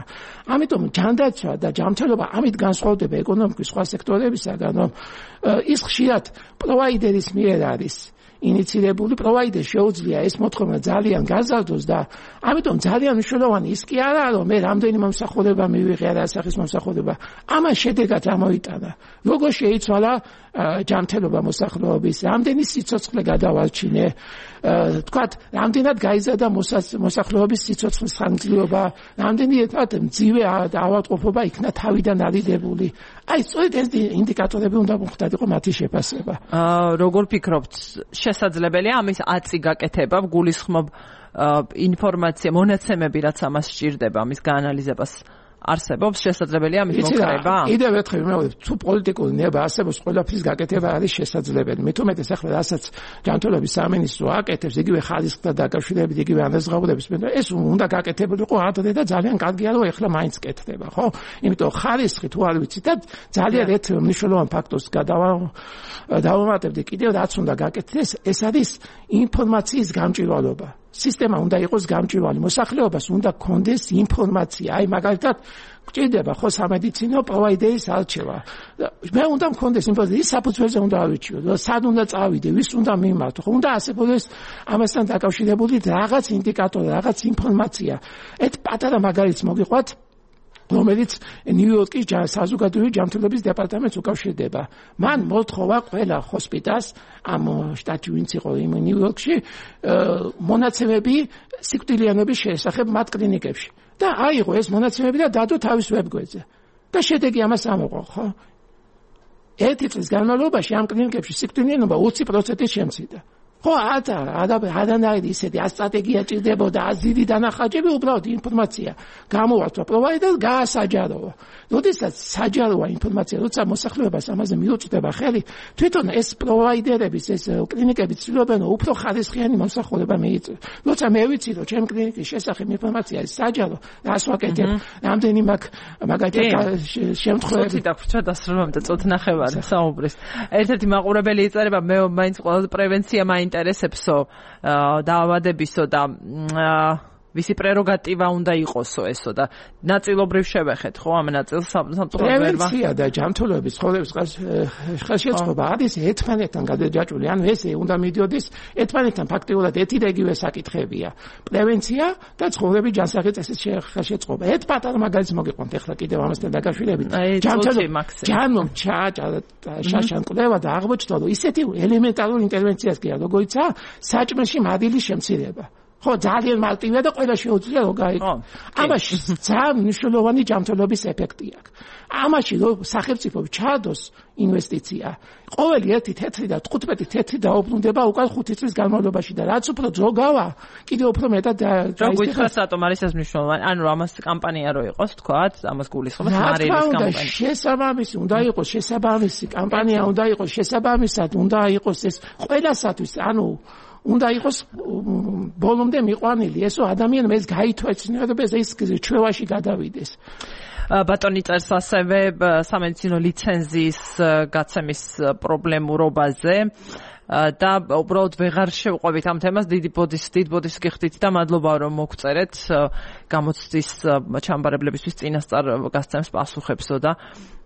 ამიტომ ჯანდაცვა და ჯანმრთელობა ამით განსხვავდება ეკონომიკის სხვა სექტორებისაგან, რომ ის ხშირად პროვაიდერის მიერ არის ინიცირებული, პროვაიდერს შეუძლია ეს მოთხოვნა ძალიან გაზარდოს და ამიტომ ძალიან მნიშვნელოვანი ის კი არაა, რომ მე რამდენი მომსახურება მივიღე, რა სახის მომსახურება. ამან შედეგად ამოიტანა. როგორ შეიცვალა ჯანმრთელობა მოსახლეობის, რამდენი სიცოცხლე გადავარჩინე, თქვათ, რამდენად გაიზარდა მოსახლეობის სიცოცხლის ხანგრძლივობა, რამდენი ერთად მძივე ავადმყოფობა იქნა თავიდან არიდებული. აი, სწორედ ეს ინდიკატორები უნდა მომხდარიყო მათი შეფასება. როგორ ფიქრობთ, შესაძლებელია ამის ათი გაკეთება, გულისხმობ ინფორმაცია, მონაცემები, რაც ამას სჭირდება, ამის გაანალიზებას არსებობს, შესაძლებელია ამის მოკრება? კიდევ ერთხელ მეორე, თუ პოლიტიკური ნება არსებობს, ყველაფრის გაკეთება არის შესაძლებელი. მე თუ მეტეს ახლა რასაც ჯანმრთელობის სამინისტრო აკეთებს, იგივე ხარისხთან დაკავშირებით, იგივე ანაზღაურების მე ეს უნდა გაკეთებულიყო ადრე და ძალიან კარგია, რომ ახლა მაინც კეთდება, ხო? იმიტომ ხარისხი თუ არ ვიცით და ძალიან ერთ მნიშვნელოვან ფაქტორს გადავამატებდი კიდევ, რაც უნდა გაკეთდეს, ეს არის ინფორმაციის გამჭვირვალობა. სისტემა უნდა იყოს გამჭვირვალე, მოსახლეობას უნდა გქონდეს ინფორმაცია. აი მაგალითად გვჭირდება ხო სამედიცინო პროვაიდერის არჩევა. მე უნდა მქონდეს ინფორმაცია, ის საფუძველზე უნდა ავიჩიო, სად უნდა წავიდე, ვის უნდა მიმართო, ხო უნდა არსებობდეს ამასთან დაკავშირებული რაღაც ინდიკატორი, რაღაც ინფორმაცია. ერთ პატარა მაგალითს მოგიყვათ, რომელიც ნიუ-იორკის საზოგადოებრივი ჯანმრთელობის დეპარტამენტს უკავშირდება. მან მოთხოვა ყველა ჰოსპიტალს ამ შტატში ვინც იყო იმ ნიუ-იორკში მონაცემები სიკვდილიანობის შესახებ მათ კლინიკებში. და აიღო ეს მონაცემები და დადო თავის ვებგვერდზე. და შედეგი ამას ამოყო, ხო? ერთი წლის განმავლობაში ამ კლინიკებში სიკვდილიანობა ოცი პროცენტით შემცირდა. ხო, არა, არა, არანაირი ისეთი სტრატეგია ჭირდებოდა, აზირი დანახაჭები, უბრალოდ ინფორმაცია გამოვართვა პროვაიდერს, გაასაჯაროა. როდესაც საჯაროა ინფორმაცია, როცა მოსახლეობას ამაზე მიუწვდება ხელი, თვითონ ეს პროვაიდერების, ეს კლინიკები ცდილობენ უფრო ხარისხიანი მომსახურება მიიწვიოს. როცა მე ვიცი, რომ ჩემ კლინიკის შესახებ ინფორმაცია არის საჯარო, რას ვაკეთებ, რამდენი მაგ მაგალითად შემთხვევები დაგვრჩა დასრულამდე წოთ ნახევარი საუბრის. ერთ-ერთი მაყურებელი იწერება, მე მაინც ყველაზე პრევენცია მაინტერესებსო, დაავადებისო და ვისი პრეროგატივა უნდა იყოსო ესო და ნაწილობრივ შევეხეთ ხო ამ ნაწილს სამწუხაროდ პრევენცია და ჯანმრთელობის ცხოვრების ხელშეწყობა არის ერთმანეთთან გადაჯაჭვული, ანუ ეს უნდა მიდიოდეს ერთმანეთთან ფაქტიურად ერთი და იგივე საკითხებია. პრევენცია და ცხოვრების ჯანსაღი წესის ხელშეწყობა. ერთ პატარა მაგალითს მოგიყვანთ ახლა კიდევ ამასთან დაკავშირებით. ჯანმრთელობის ჯანმომ შაშან კვლევა და აღმოჩნდა, რომ ისეთი ელემენტარულ ინტერვენციას კი არა, როგორიცაა საჭმელში მადილის შემცირება. ხო, ძალიან მარტივია და ყველა შეუძლია რომ გაიგო. ამაში ძალიან მნიშვნელოვანი ჯანმრთელობის ეფექტი აქვს. ამაში რომ სახელმწიფო ჩაადოს ინვესტიცია, ყოველი ერთი თეთრი და თხუთმეტი თეთრი დაუბრუნდება უკან ხუთი წლის განმავლობაში და რაც უფრო ძრო გავა, კიდევ უფრო მეტად გაიგოს რატომ არის ეს მნიშვნელოვანი. ანუ ამას კამპანია რო იყოს, თქვათ, ამას გულისხმობს მარიელის კამპანია. შესაბამისი უნდა იყოს, შესაბამისი კამპანია უნდა იყოს, შესაბამისად უნდა იყოს ეს ყველასათვის, ანუ უნდა იყოს ბოლომდე მიყვანილი, ესო ადამიანმა ეს გაითვალისწინებდეს, ეს ჩვევაში გადავიდეს. ბატონი წერს ასევე სამედიცინო ლიცენზიის გაცემის პრობლემურობაზე და უბრალოდ ვეღარ შევყვებით ამ თემას. დიდი ბოდის დიდ ბოდის გიხდით და მადლობა რომ მოგწერეთ გამოცდის ჩამბარებლებისთვის წინასწარ გასცემს პასუხებსო და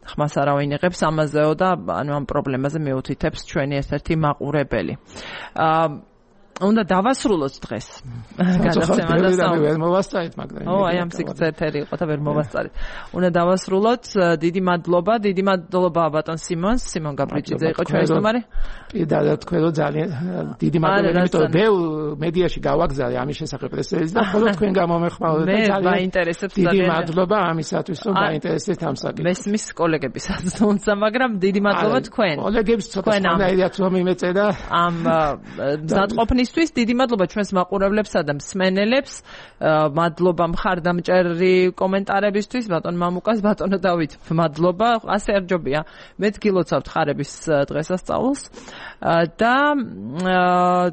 ხმას არავინ იღებს ამაზეო და ანუ ამ პრობლემაზე მიუთითებს ჩვენი ერთ-ერთი მაყურებელი. უნდა დავასრულოთ დღეს გადაცემა და საუბარი ვერ მოვასწარეთ მაგრამ ო აი ამ სიგრძეები იყო და ვერ მოვასწარეთ. უნდა დავასრულოთ. დიდი მადლობა, დიდი მადლობა ბატონ სიმონს. სიმონ გაბრიჭიძე იყო ჩვენი სტუმარი. პირდადად თქვენ რომ ძალიან დიდი მადლობა, იმიტომ რომ ბევრ მედიაში გავაგზავნე ამის შესახებ პრესეის და მხოლოდ თქვენ გამომეხმაურეთ და ძალიან მაინტერესებს დიდი მადლობა ამისათვის რომ დაინტერესეთ ამ საკითხს. მესმის კოლეგებისაც თუნცა, მაგრამ დიდი მადლობა თქვენ. კოლეგებს ცოტა სხვანაირად რომ იმეწე და ამ მზადყოფნის ისთვის დიდი მადლობა ჩვენს მაყურებლებსა და მსმენელებს. მადლობა მხარდამჭერი კომენტარებისთვის, ბატონ მამუკას, ბატონო დავით, მადლობა. ასე არჯობია. მეც გილოცავთ ხარების დღესასწაულს და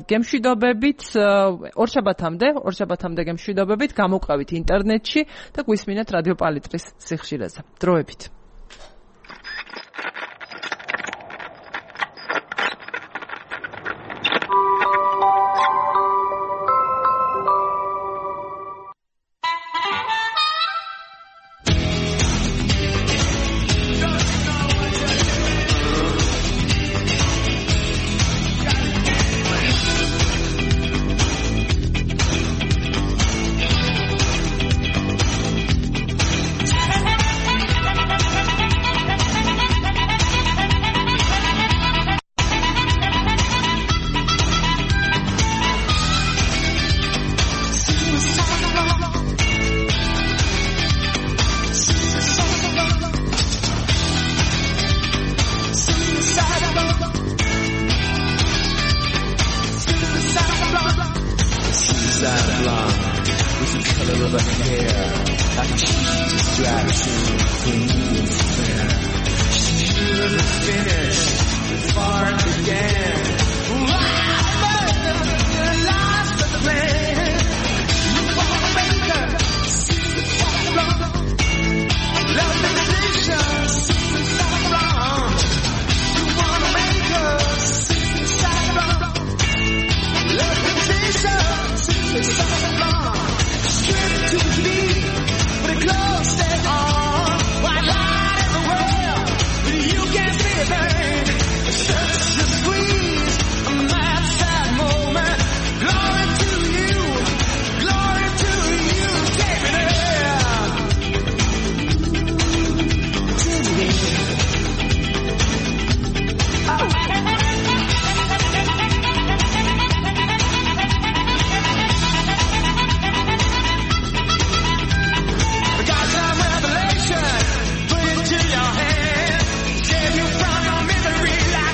გემშვიდობებით ორშაბათამდე, ორშაბათამდე გემშვიდობებით, გამოყვებით ინტერნეტში და გვისმინეთ რადიო პალიტრის სიხშირეზე. დროებით.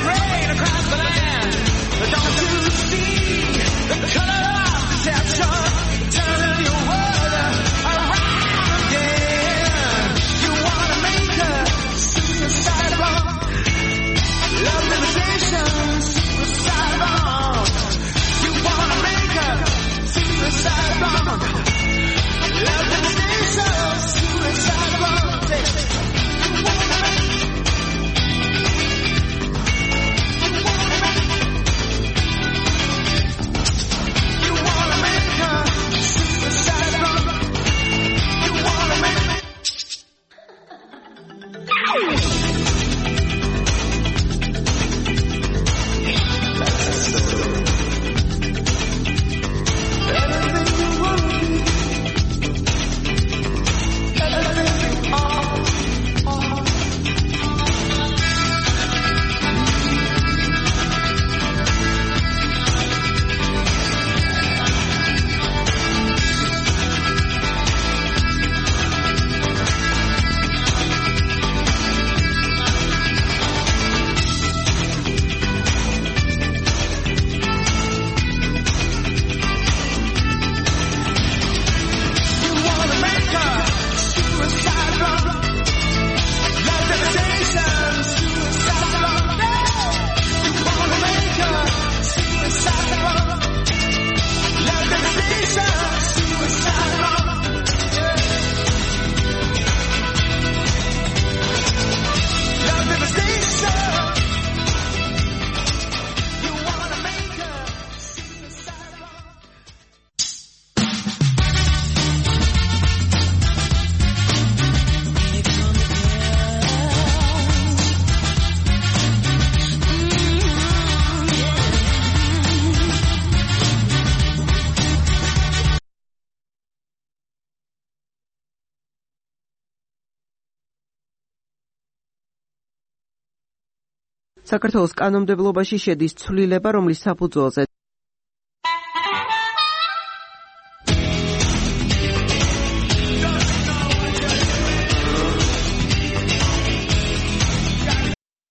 Rain საქართველოს კანონმდებლობაში შედის ცვლილება, რომლის საფუძველზე